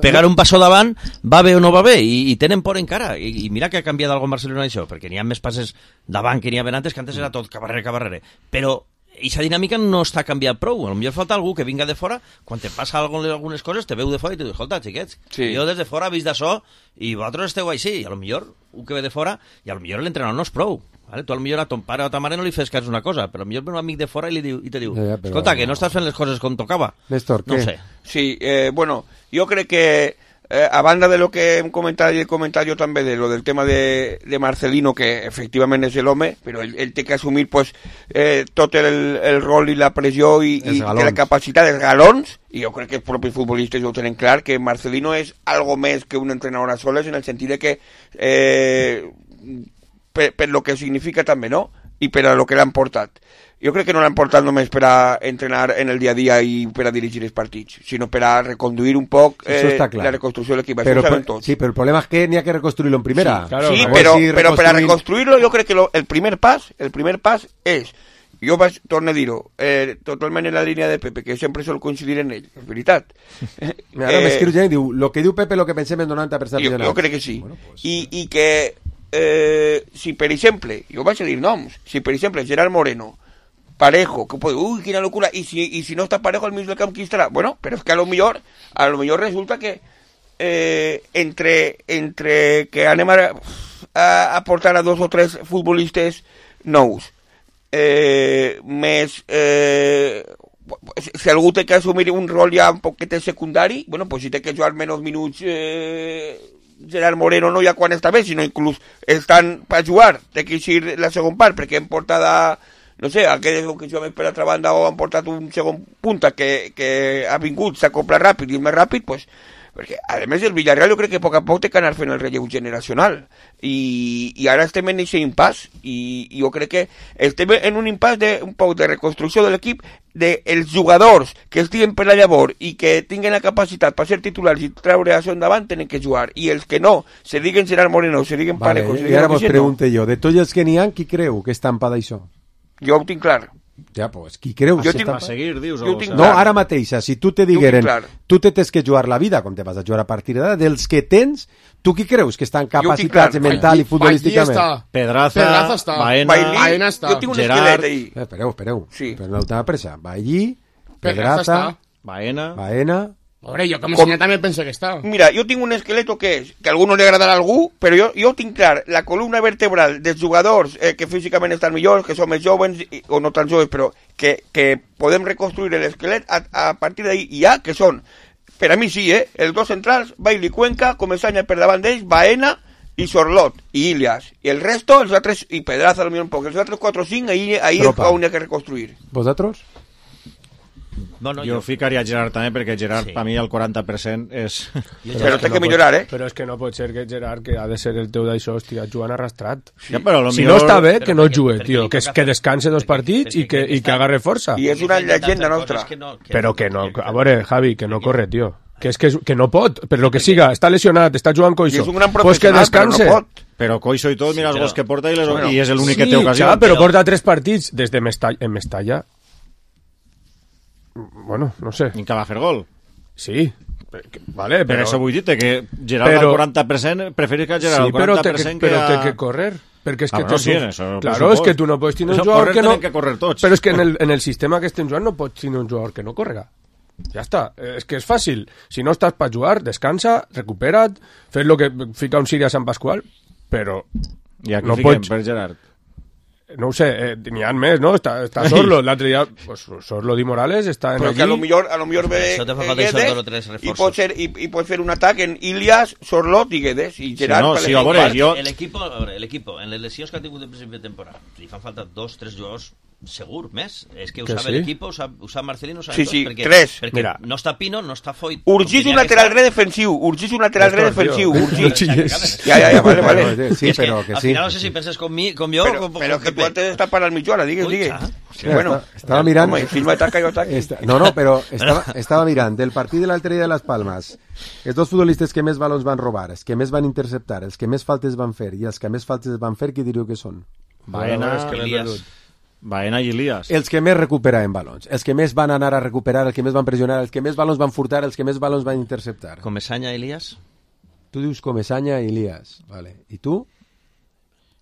pegar un passo davant va bé o no va bé, i tenen por encara, i mira que ha canviat algo en Barcelona això, perquè n'hi ha més passes davant que n'hi ha antes, que antes era tot cabarrer, però aquesta dinàmica no està canviat prou, potser falta algú que vinga de fora, quan te passa algunes coses te veu de fora i te diu, escolta xiquets, jo des de fora he vist d'això i vosaltres esteu així, i potser un que ve de fora, i potser l'entrenador no és prou. Vale? Tu potser a ton pare o a ta mare no li fes cas una cosa, però potser ve un amic de fora i te diu, escolta, que no estàs fent les coses com tocava. Néstor, no què? Sé. Sí, bueno, yo creo que a banda de lo que hem comentat i he comentat jo també de lo del tema de Marcelino, que efectivament és l'home, però ell té que assumir pues, tot el rol i la pressió i la capacitat dels galons, i jo crec que els propis futbolistes ho tenen clar, que Marcelino és algo més que un entrenador a soles, en el sentit de que per lo que significa també, no? I per a lo que l'han portat. Jo crec que no l'han portat només per a entrenar en el dia a dia i per a dirigir els partits, sinó per a reconduir un poc la reconstrucció de l'equip. Això ho sabem tots. Sí, però el problema és que n'hi ha que reconstruir-lo en primera. Sí, però per a reconstruir-lo jo crec que el primer pas és, jo torno a dir-ho, totalment en la línia de Pepe, que sempre sol coincidir en ell, és veritat. Ara m'escriu gent i diu, lo que diu Pepe lo que pensem en 90%. Jo crec que sí. Bueno, pues... I que si per exemple, jo vaig a dir noms, si per exemple Gerard Moreno, Parejo, que puede, uy, quina locura, y si no está Parejo al mismo del camp, ¿quién estará? Bueno, pero es que a lo mejor resulta que entre que anem a portar a 2 o 3 futbolistes nous, més si algú té que assumir un rol ja un poquet secundari, bueno, pues si té que jugar menys minuts Gerard Moreno no ja quan està bé, sinó inclús estan per jugar, té que eixir la segona part, perquè hem portat no sé, aquell que jugem per l'altra banda o han portat un segon punta que ha vingut, s'acopla ràpid i és més ràpid, pues, perquè a més el Villarreal jo crec que a poc a poc té que anar fent el relleu generacional i ara estem en aquest impàs i jo crec que estem en un impàs un poc de reconstrucció de l'equip dels jugadors que estiguen per la llavor i que tinguen la capacitat per ser titulars i treure això endavant tenen que jugar i els que no, se diguen Gerard Moreno, se diguen Parejo, i ara vos pregunte jo, de tots els que n'hi ha, qui creu que està empada això? Jo ho tinc clar. Ja, pues, qui creu? Jo tinc... A seguir, dius? No, ara mateixa, si tu te digueren, tu te tens que jugar la vida, com te vas a jugar a partir d'ara, dels que tens, tu qui creus que estan capacitats mental i futbolísticament? Pedraza, Bailly està. Jo tinc un esquelet ahí. Espereu. Sí. Però no t'ha pressa. Bailly, Pedraza, Baena... Hombre, jo com a senyor també penso que està. Mira, jo tinc un esqueleto que és, que a algú no li agradarà a algú, però jo tinc clar la columna vertebral dels jugadors que físicament estan millors, que són més joves, o no tan joves, però que podem reconstruir l'esquelet a partir d'ahí, i ja, que són, per a mi sí, els dos centrals, Bailly Cuenca, Comesaña per davant d'ells, Baena i Sorlot, i Ilias. I el resto, els altres, i Pedraza, potser un poc, els altres 4 o 5, ahí és on hi ha que reconstruir. Vosaltres? Bueno, jo ficaria Gerard també, perquè Gerard, per mi, el 40% és... Però té que millorar, Però és que no pot ser que Gerard, que ha de ser el teu d'això, estigui jugant arrastrat. Ja, però si no està bé, que no jugue, tio. Que descanse 2 partits i que agarre força. I és una llegenda nostra. Però que no... A veure, Javi, que no corre, tio. Que no pot, per lo que siga, està lesionat, està jugant Coixo. És un gran pues que descanse. Però no pot. Però Coixo i tot, mira els gols que porta i és l'únic que té ocasió. Sí, però porta 3 partits des de Mestalla. Bueno, no sé. I que va fer gol. Sí, vale, però... Per això vull dir-te que Gerard al 40% preferís que Gerard al 40% però té que correr. Perquè és que claro, és que tu no pots tenir un jugador que no... Que correr tots. Però és que en el sistema que estem jugant no pots tenir un jugador que no correga. Ja està, és que és fàcil. Si no estàs per jugar, descansa, recupera't, fes lo que fica un Siri a Sant Pasqual, però... I aquí no fiquem pots... per Gerard. No ho sé, n'hi ha més, no? Està Sorlo, l'altre dia, pues, Sorlo Di Morales està en però allí. Però que a lo millor ve Guedes i pot fer un atac en Ilias, Sorlot i Guedes i Gerard. Sí, a veure, l'equip, en les lesions que ha tingut de principi de temporada, li fan falta 2-3 jugadors segur, més. És que ho sabe l'equip, ho sap Marcelino, ho sabe tots. Sí, perquè, 3. Perquè no està Pino, no està Foyt. Urgís un lateral defensiu. Ja, vale. Sí, però que sí. Al final no sé si penses com jo o com però que tu antes d'estar para el mitjó, ara, digues. Bueno, estava mirant... No, però estava mirant del partit de l'altre dia de Las Palmas. Els 2 futbolistes que més balons van robar, els que més van interceptar, els que més faltes van fer i els que més faltes van fer, qui diríeu que són? Baena i Ilias. Els que més recuperaven balons, els que més van anar a recuperar, els que més van pressionar, els que més balons van furtar, els que més balons van interceptar. Comesaña i Ilias? Tu dius Comesaña i Ilias, vale. I tu?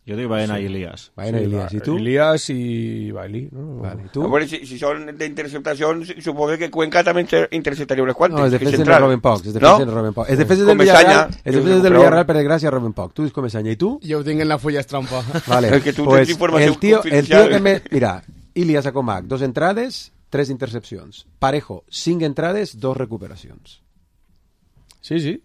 Jo dic Baena i Ilias. Baena i Ilias. I tu? Ilias i Bailly. No? Vale. I tu? A veure, si són d'interceptacions, suposo que Cuenca també interceptaria unes quantes. No, els defenses no roben pocs. Els defenses del Villarreal, per desgràcia, roben poc. Tu dius Comesaña. I tu? Jo ho tinc en la fulla estrampa. Vale. Pues el tío que me... Mira, Ilias a Comac, 2 entrades, 3 intercepcions. Parejo, 5 entrades, 2 recuperacions. Sí.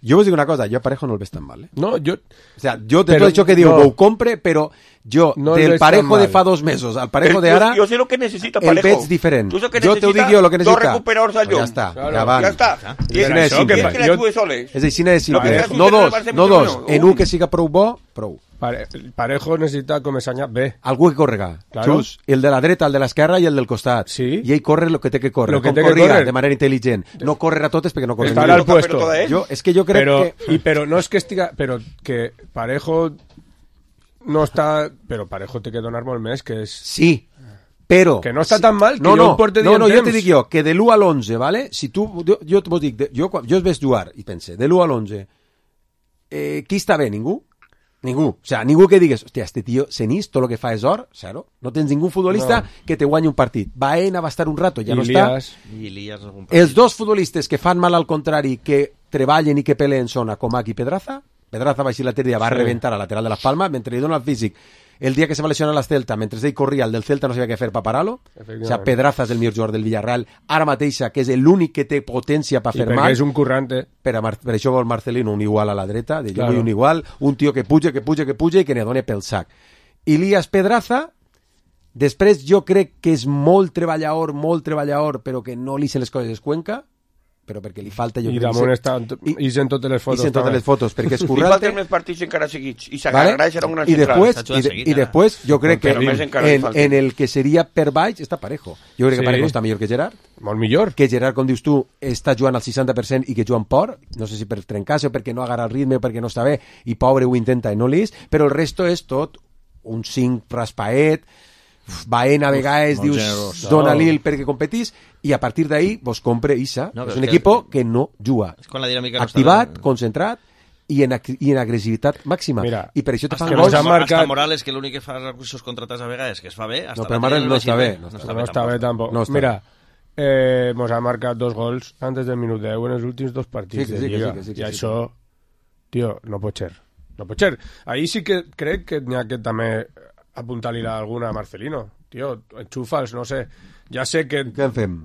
Jo vos dic una cosa, jo a Parejo no el veig tan mal, No, jo... O sea, jo de tot això que diu, ho compre, però jo, no del Parejo de fa 2 mesos al Parejo de ara, jo sé lo que necessita Parejo. El veig diferent. Jo te ho dic jo, lo que necessita. 2 recuperadors al lloc. Ja està, ja van. Ja està. És així que les dues soles. És així de simple. No dos. En un que siga prou bo, prou. Parejo necessita Comesaña B. Algú que correga. Claro. Just. El de la dreta, el de l'esquerra i el del costat. Sí. I ell corre el que té que córrer. Com corria, de manera intel·ligent. No córrer a totes perquè no corre. Estar al puesto. És que jo crec que... Però no és que estiga... Però que Parejo no està... Però Parejo té que donar molt més, que és... Sí, però... Que no està tan mal, que no, jo ho porte dient jo te dic jo, que de l'1 a l'11, ¿vale? Si tu... Jo vos dic, jo es veig jugar i pense, de l'1 a l'11, qui està bé? Ningú? Ningú. O sea, ningú que digues, hòstia, este tío Senís, tot lo que fa és or, zero. No tens ningú futbolista que te guanyi un partit. Baena va estar un rato, ja no està. Els 2 futbolistes que fan mal al contrari, que treballen i que peleen són a Comac i Pedraza. Pedraza va així l'altre dia, va rebentar a lateral de Las Palmas, mentre li dona el físic. El dia que se va lesionar a l'Celta, mentre ell corria, el del Celta no sabia què fer per parar-lo. O sea, Pedraza és el millor jugador del Villarreal, ara mateixa, que és l'únic que té potència per fer mal. I perquè és un currante. Per això vol Marcelino un igual a la dreta, jo vull un igual, un tio que puja i que ne doni pel sac. Ilias Pedraza, Després jo crec que és molt treballador, però que no li se les coses Cuenca, però perquè li falta... I damunt està... I sent totes les fotos. I sent totes les fotos, perquè és Li currante. falten més partits encara seguits. I s'agarrarà serà un gran central. I després jo crec que Però més encara li falta. en el que seria per baix està Parejo. Jo crec que Parejo està millor que Gerard. Molt millor. Que Gerard, com dius tu, està jugant al 60% i que juga amb por. No sé si per trencar-se o perquè no agarra el ritme o perquè no està bé. I pobre ho intenta i no l'és. Però el resto és tot un 5 raspaet, Baena a vegades dius generós. dona-li perquè competís i a partir d'ahí vos compre Issa. No, És però un és equip que no juga. És quan la dinàmica no Activat, està bé. concentrat i en agressivitat màxima. Mira, I per això te fan que gols. nos ha marcat- Hasta Morales, que l'únic que fa recursos contratats a vegades, que es fa bé, hasta No, però Morales no està bé. No està bé tampoc. No està Mira, mos ha marcat 2 gols antes del minut 10 en els últims 2 partits Sí, de sí, Lliga. que sí. I això, tio, no pot ser. No pot ser. Ahí sí que crec que n'hi ha que també apuntar-li alguna a Marcelino. Tio, enxufa'ls, no sé. Ja sé que... Què en fem?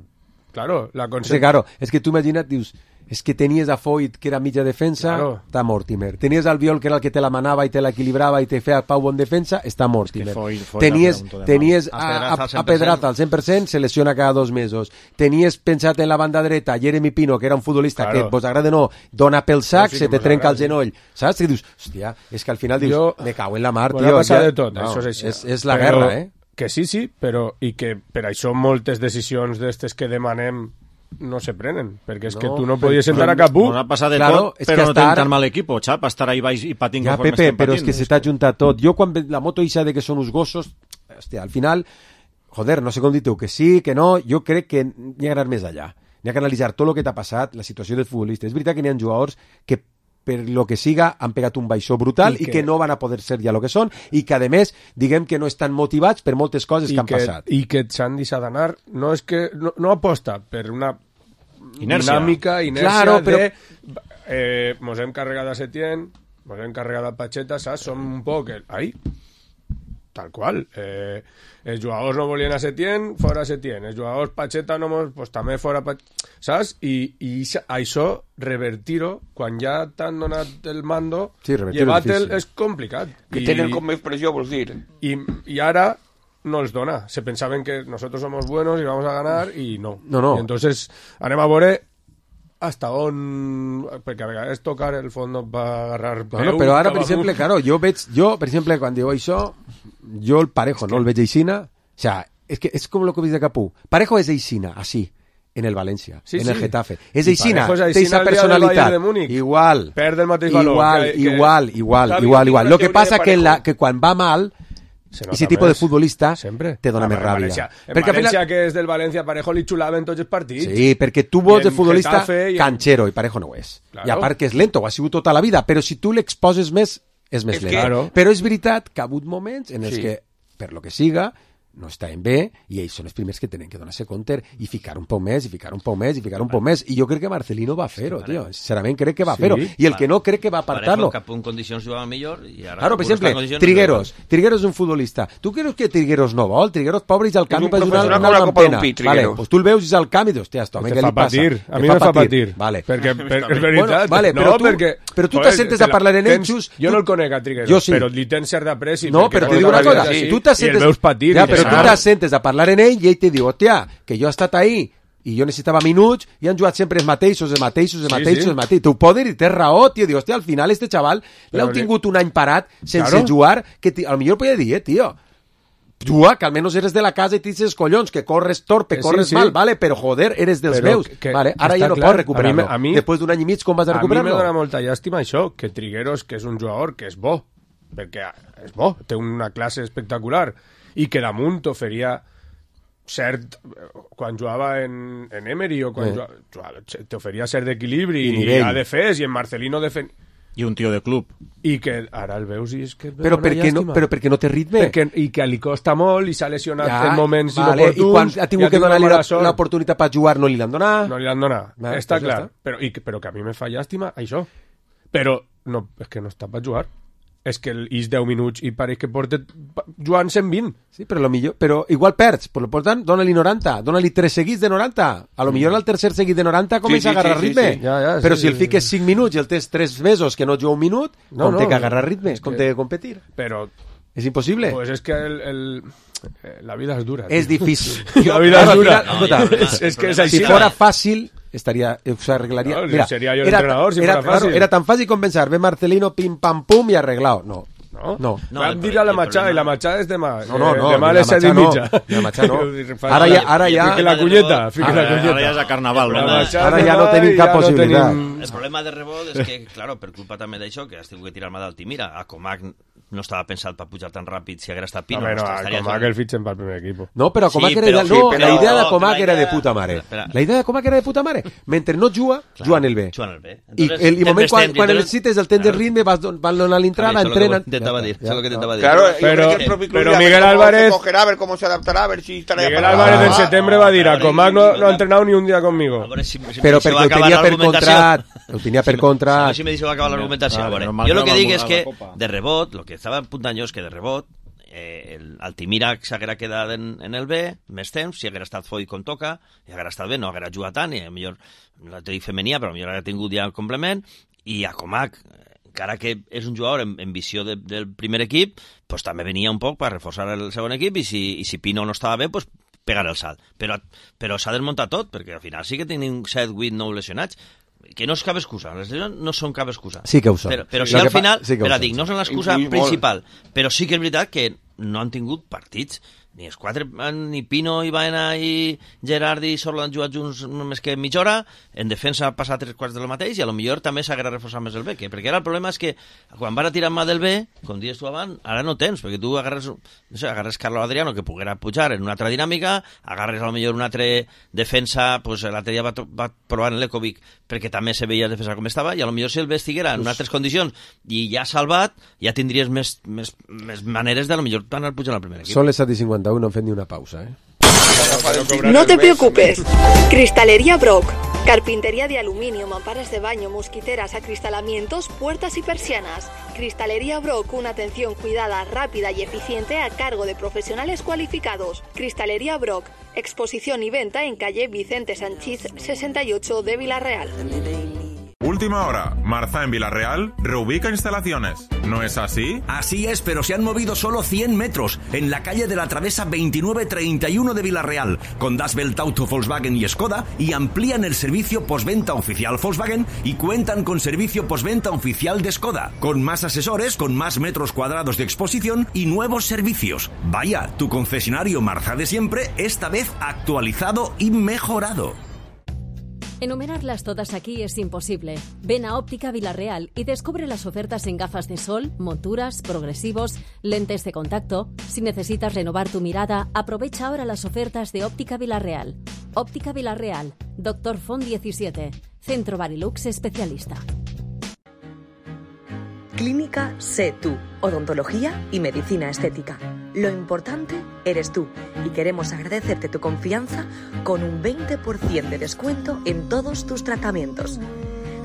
Claro, la És que, claro, és que tu imagina't, dius, és que tenies a Foyt, que era mitja defensa, Claro. està Mortimer. Tenies al Biol, que era el que te la manava i te l'equilibrava i te feia Pau bon defensa, està Mortimer. Foyt Tenies, era un punto de tenies mal. a Pedraza al 100%, se lesiona cada 2 mesos. Tenies pensat en la banda dreta Jeremy Pino, que era un futbolista Claro. que, vos agrada o no, dona pel sac, Sí, se que te mos trenca el agrada, genoll. Saps? Que dius, hòstia, és que al final dius, Jo- me cago en la mar, Mos tio. ha passat ja- de tot, no, això és així. És la Però- guerra, eh? Que sí, però i que per això moltes decisions d'estes que demanem no se prenen, perquè és que No, tu no però- podies sentar a cap Nos ha passat de Claro, tot, és que però no hasta tenim ara- tan mal equipo, xap, estar ahí baix i patint Ja, conforme Pepe, estem però és patint. que se t'ha juntat tot. Jo, quan la moto ixa de que són uns gossos, hòstia, al final, joder, no sé com dir-te, que sí, que no, jo crec que n'hi ha d'anar més allà. N'hi ha que analitzar tot el que t'ha passat, la situació del futbolista. És veritat que n'hi ha jugadors que per lo que siga han pegat un baixó brutal i que no van a poder ser ja el que són i que, a més, diguem que no estan motivats per moltes coses que han passat. I que s'han deixat d'anar, no és que no aposta per una Inèrcia. dinàmica, inèrcia Claro, però- de mos hem carregat a Setién, mos hem carregat a Pacheta, saps? Som un poc ahí, tal qual. Els jugadors no volien a Setién, fora Setién. Els jugadors Pacheta no mos, pues també fora Pacheta, saps? I això, revertir-ho, quan ja t'han donat el mando, Sí, revertir-ho és llevar-te'l difícil. és complicat. Que tenen com més pressió, vols dir? Y ahora no les dona. Se pensaban que nosotros somos buenos y vamos a ganar y no. No. Y entonces anem a veure hasta on... Perquè a vegades tocar el fondo va agarrar Bueno, però ara, per exemple, claro, jo, per exemple, quan diu això, jo el Parejo no el veig aixina, o sea, és com el que dice Capú. Parejo és aixina, així, en el València, Sí, en sí. el Getafe. És I aixina, Parejo és té aixina esa el dia del Bayern personalitat. de Múnich. Igual. Perd el mateix valor. Igual. Lo que passa que quan va mal, Se ese nota tipo de més. futbolista Sempre. te dona Ah, més en ràbia. València, en Perquè al València, final... que és del València, Parejo li xulaven tots els partits. Sí, perquè tu I vols de en futbolista Getafe i en- canchero i Parejo no ho és. Claro. I a part que és lento, ho ha sigut tota la vida, però si tu l'exposes més, és més És lent. que- Claro. Però és veritat que ha hagut moments en els Sí. que, per lo que siga, no estaven bé i ells són els primers que tenen que donar-se compte i ficar un poc més, i ficar un poc més, i ficar un poc més. I jo crec que Marcelino va fer-ho, tio. Sincerament crec que va Sí. fer-ho. I el que no crec que va apartar-lo. Parejo, cap en condicions jugava millor i ara... Claro, per no està en exemple, condicions, Trigueros. Trigueros és un futbolista. Tu creus que Trigueros no vol? Trigueros, pobre, és al camp un i per jugar professional una com la Copa pena. d'un Pi, Vale, Trigueros. pues tu el veus i és al camp i dius, hòstia, esto, Te què fa li passa? patir. A Te mi me fa patir. Vale. Perquè és veritat. Bueno, vale, no, però tu, perquè, però tu joder, t'assentes a parlar en tens- ells... Jo no el conec a Trigueros, Jo sí. però li tens cert d'apreci. No, perquè però tota te dic la una vida cosa, així, tu t'assentes... I el veus patir. Ja, i però tu saps. t'assentes a parlar en ell i ell te diu, hòstia, que jo he estat ahí i jo necessitava minuts i han jugat sempre els mateixos. Sí. Tu poder i tens raó, tio. Diu, hòstia, al final este xaval l'heu li- tingut un any parat sense Claro. jugar, que a lo millor podia dir, tio, juga, que almenys eres de la casa i tens els collons, que corres torpe, Sí, corres sí. mal, vale, però joder, eres dels Però meus. que Vale, ara està ja no clar. pots recuperar-lo. A mi- Després d'un any i mig, com vas a A mi recuperar-lo? me dona molta llàstima això, que Trigueros, que és un jugador que és bo, perquè és bo, té una classe espectacular, i que damunt t'oferia cert... Quan jugava en Emery o quan t'oferia cert d'equilibri I i nivell. a defès, i en Marcelino I un tio de club. i que ara el veus i és que... Però perquè no té ritme. I que li costa molt i s'ha lesionat Ja, en moments vale, inoportuns. i quan ha tingut i que donar-li mala sort. l'oportunitat per jugar no li l'han donat. No li han donat. Va, Està pues ja clar. està. Però que a mi me fa llàstima això. Però no, és que no està per jugar. És que és 10 minuts i pareix que porta jugant 120. Sí, però, però igual perds. Per tant, dona-li 90. Dona-li 3 seguits de 90. A lo millor al tercer seguit de 90 comença a agarrar ritme. sí. Ja, però sí, si el sí, fiques 5 minuts i el tens 3 mesos que no juga un minut, com té que agarrar ritme, com té que competir. Però És impossible. pues és que La vida es dura. Es difícil. La vida es dura. Es que es así. Si fuera fácil, se arreglaría. No, Mira, sería yo el entrenador si fuera fácil. Claro, era tan fácil compensar. Ve Marcelino, pim, pam, pum y arreglado. No. Van dir a la Machada, y la Machada es de mal. No, de mal es de mitja. La Machada no. Ara ja... Fique la cunyeta. Ara ja és a Carnaval, no? Ara ja no tenim cap possibilitat. El problema de rebot és que, claro, per culpa també d'això, que has tingut que tirar-me d'Altimira, a Comac no estava pensat per pujar tan ràpid si hagués estat Pino. No, a Comac el fitxen pel primer equip. No, però Comac era ideal. No, la idea de Comac era de puta mare. La idea de Comac era de puta mare. Mentre no juga, juga en el B. I el moment quan necessites el temps de ritme vas donar l'entrada, entrena... Claro, pero Miguel Álvarez cogerá, a ver cómo se adaptará, a ver si estará. Miguel Álvarez en septiembre va a dir a Comac no ha entrenado ni un día conmigo. Però perquè ho tenia per contrat. Ho tenia per contrat. A ver si me dice va a acabar l'argumentació. Jo lo que dic és que de rebot, lo que estava apuntant jo és que de rebot el Altimira s'haguera quedat en el B més temps, si haguera estat Foy com toca, i haguera estat bé, no haguera jugat tant, i millor la teoria femenia, però millor haguera tingut ja el complement, i a Comac, encara que és un jugador en visió del primer equip, pues també venia un poc per reforçar el segon equip, i si Pino no estava bé, pues pegar el salt. Però s'ha desmuntat tot, perquè al final sí que tenim 7, 8, 9 lesionats, que no és cap excusa, les lesions no són cap excusa. Sí que ho són. Però si al final, dic, no són l'excusa principal, però sí que és veritat que no han tingut partits, ni els quatre, ni Pino, i Baena i Gerard i Sorlo han jugat junts més que mitja hora, en defensa ha passat 3/4 del mateix, i a lo millor també s'haguera reforçat més el B, perquè ara el problema és que quan van a tirar mà del B, com dius tu abans, ara no tens, perquè tu agarres Carlos Adriano, que poguera pujar en una altra dinàmica, agarres a lo millor un altre defensa, pues l'altre dia va provar en l'Ecovic, perquè també se veia defensa com estava, i a lo millor si el B estiguera en altres condicions i ja salvat, ja tindries més maneres de a lo millor anar pujant al primer equip. Són les 7:51, no hem fet ni una pausa, No te preocupes. Cristalería Brock. Carpintería de aluminio, mamparas de baño, mosquiteras, acristalamientos, puertas y persianas. Cristalería Brock, una atención cuidada, rápida y eficiente a cargo de profesionales cualificados. Cristalería Brock. Exposición y venta en calle Vicente Sanchís 68 de Villarreal. Última hora, Marza en Villarreal reubica instalaciones. ¿No es así? Así es, pero se han movido solo 100 metros en la calle de la Travesa 2931 de Villarreal, con Das Welt Auto Volkswagen y Skoda, y amplían el servicio postventa oficial Volkswagen y cuentan con servicio postventa oficial de Skoda, con más asesores, con más metros cuadrados de exposición y nuevos servicios. Vaya, tu concesionario Marza de siempre, esta vez actualizado y mejorado. Enumerarlas todas aquí es imposible. Ven a Óptica Villarreal y descubre las ofertas en gafas de sol, monturas, progresivos, lentes de contacto. Si necesitas renovar tu mirada, aprovecha ahora las ofertas de Óptica Villarreal. Óptica Villarreal, Dr. Font 17, Centro Barilux Especialista. Clínica Sé Tú, odontología y medicina estética. Lo importante eres tú y queremos agradecerte tu confianza con un 20% de descuento en todos tus tratamientos.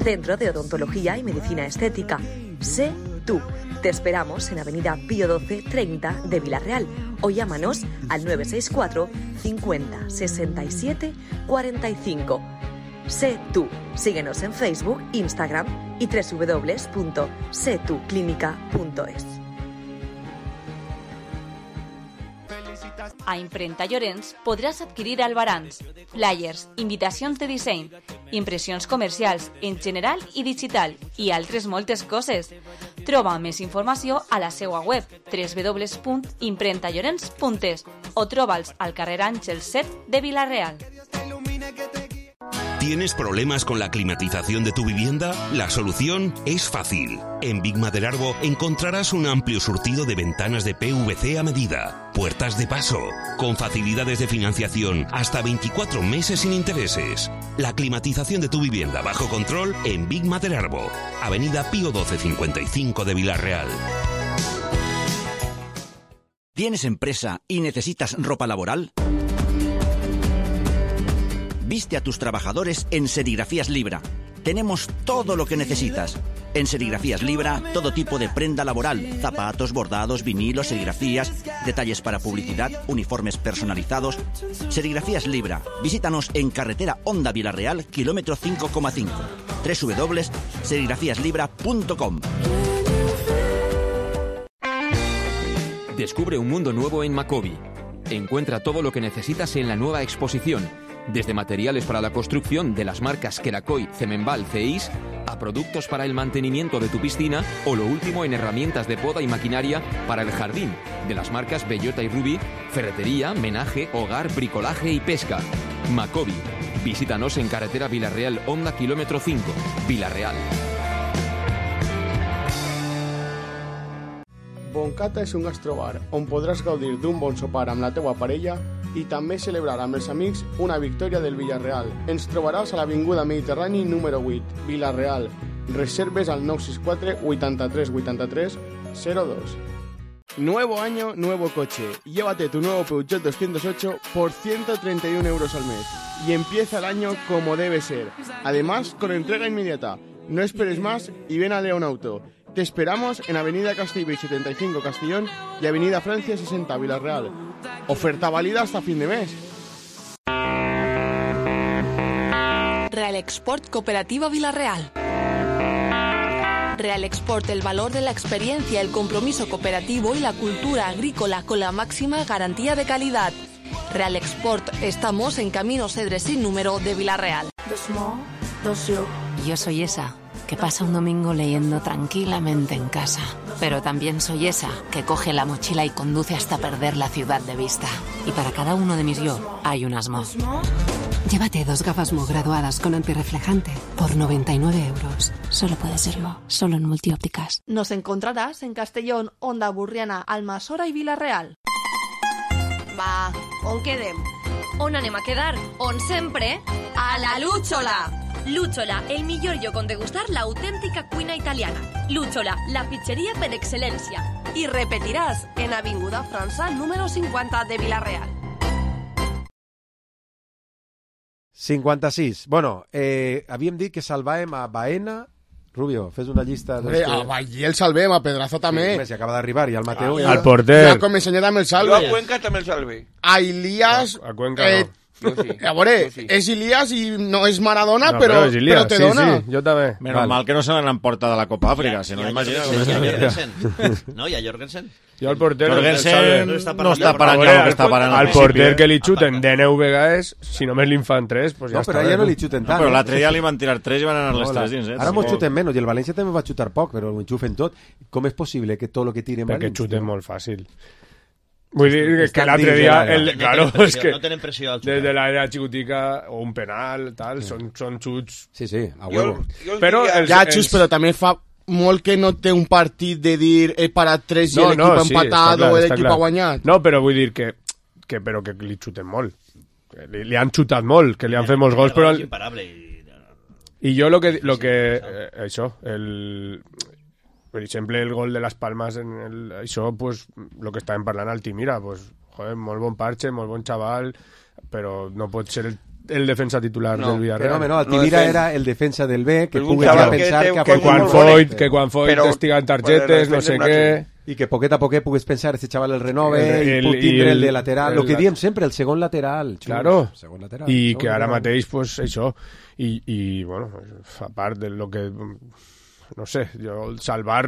Centro de Odontología y Medicina Estética. Sé Tú. Te esperamos en Avenida Pío 12 30 de Villarreal o llámanos al 964 50 67 45. Sé Tú. Síguenos en Facebook, Instagram y www.setuclinica.es. A Imprenta Llorenç podràs adquirir albarans, flyers, invitacions de disseny, impressions comercials en general i digital i altres moltes coses. Troba més informació a la seva web www.imprentallorenç.es o troba'ls al carrer Àngel 7 de Villarreal. ¿Tienes problemas con la climatización de tu vivienda? La solución es fácil. En Big Maderarbo encontrarás un amplio surtido de ventanas de PVC a medida, puertas de paso, con facilidades de financiación hasta 24 meses sin intereses. La climatización de tu vivienda bajo control en Big Maderarbo, Avenida Pío 12 55 de Villarreal. ¿Tienes empresa y necesitas ropa laboral? Viste a tus trabajadores en Serigrafías Libra. Tenemos todo lo que necesitas. En Serigrafías Libra, todo tipo de prenda laboral, zapatos, bordados, vinilos, serigrafías, detalles para publicidad, uniformes personalizados. Serigrafías Libra. Visítanos en carretera Honda Villarreal, kilómetro 5,5. www.serigrafiaslibra.com. Descubre un mundo nuevo en Macobi. Encuentra todo lo que necesitas en la nueva exposición, desde materiales para la construcción de las marcas Queracoy, Cemenval, Ceis, a productos para el mantenimiento de tu piscina o lo último en herramientas de poda y maquinaria para el jardín, de las marcas Bellota y Rubí, ferretería, menaje, hogar, bricolaje y pesca. Macobi. Visítanos en carretera Villarreal, Honda kilómetro 5, Villarreal. Boncata és un gastrobar on podràs gaudir d'un bon sopar amb la teua parella i també celebrar amb els amics una victòria del Villarreal. Ens trobaràs a l'Avinguda Mediterrani número 8, Villarreal. Reserves al 964 83 83 02. Nuevo año, nuevo coche. Llévate tu nuevo Peugeot 208 por 131 euros al mes y empieza el año como debe ser. Además, con entrega inmediata. No esperes más y ven a León Auto. Te esperamos en Avenida Castellbell 75 Castellón y Avenida Francia 60 Villarreal. Oferta válida hasta fin de mes. Real Export Cooperativa Villarreal. Real Export, el valor de la experiencia, el compromiso cooperativo y la cultura agrícola con la máxima garantía de calidad. Real Export, estamos en Camino Cedres sin número de Villarreal. Yo soy esa que pasa un domingo leyendo tranquilamente en casa. Pero también soy esa que coge la mochila y conduce hasta perder la ciudad de vista. Y para cada uno de mis yo hay un Asmo. Llévate 2 gafas Mo graduadas con antirreflejante por 99 euros. Solo puede ser Mo, solo en Multiópticas. Nos encontrarás en Castellón, Onda Burriana, Almassora y Villarreal. Va, on quedem? On anem a quedar? On sempre? A la Lúchola! Lúchola, el millor lloc on degustar la autèntica cuina italiana. Lúchola, la pizzeria per excel·lència. Y repetirás en Avinguda França número 50 de Villarreal. 56. Bueno, havíem dit que salvàvem a Baena. Rubio, fes una llista... A Vallí el salvem, a Pedraza també. Sí, si acaba d'arribar, i al Mateu... Al porter. Ja com ensenyat amb el salve. Jo a Cuenca també el salve. A Ilías... A Cuenca no. A veure, és Ilías i no és Maradona, no, però te dona. Sí, jo també. Menos mal que no se l'han emportat de la Copa Àfrica, si no imagina... No, hi ha Jorgensen. Jo al porter... Jorgensen no està parant ja el que està parant. Al porter que li xuten de 9 vegades, si només li fan 3, pues ja està. No, però ja no li xuten tant. Però l'altre dia li van tirar 3 i van anar les 3 dins. Ara mos xuten menys, i el València també va xutar poc, però ho enxufen tot. Com és possible que tot el que tiren València... Perquè xuten molt fàcil. Vull dir que l'altre dia... Claro, és que... No tenen pressió al xutar. Des de l'àrea xicotica, o un penal, tal, són xuts... Sí, a huevo. Ja xuts, però també fa molt que no té un partit de dir he parat 3 i l'equip ha empatat o l'equip ha guanyat. No, però vull dir que li xuten molt. Li han xutat molt, que li han fet molts gols, però... I jo lo que això, per exemple, el gol de Las Palmas això, pues, lo que estàvem parlant al Timira, pues, joder, molt bon parche, molt bon xaval, però no pot ser el defensa titular del Villarreal. No, el Timira era el defensa del B, que pugui pensar que quan Foyt estiguen targetes, no sé què... I que poquet a poquet puguis pensar este xaval el renove i pot tindre el de lateral, el que diem sempre, el segon lateral. Claro, i que ara mateix, pues, això, i bueno, a part de lo que... No sé, jo salvar...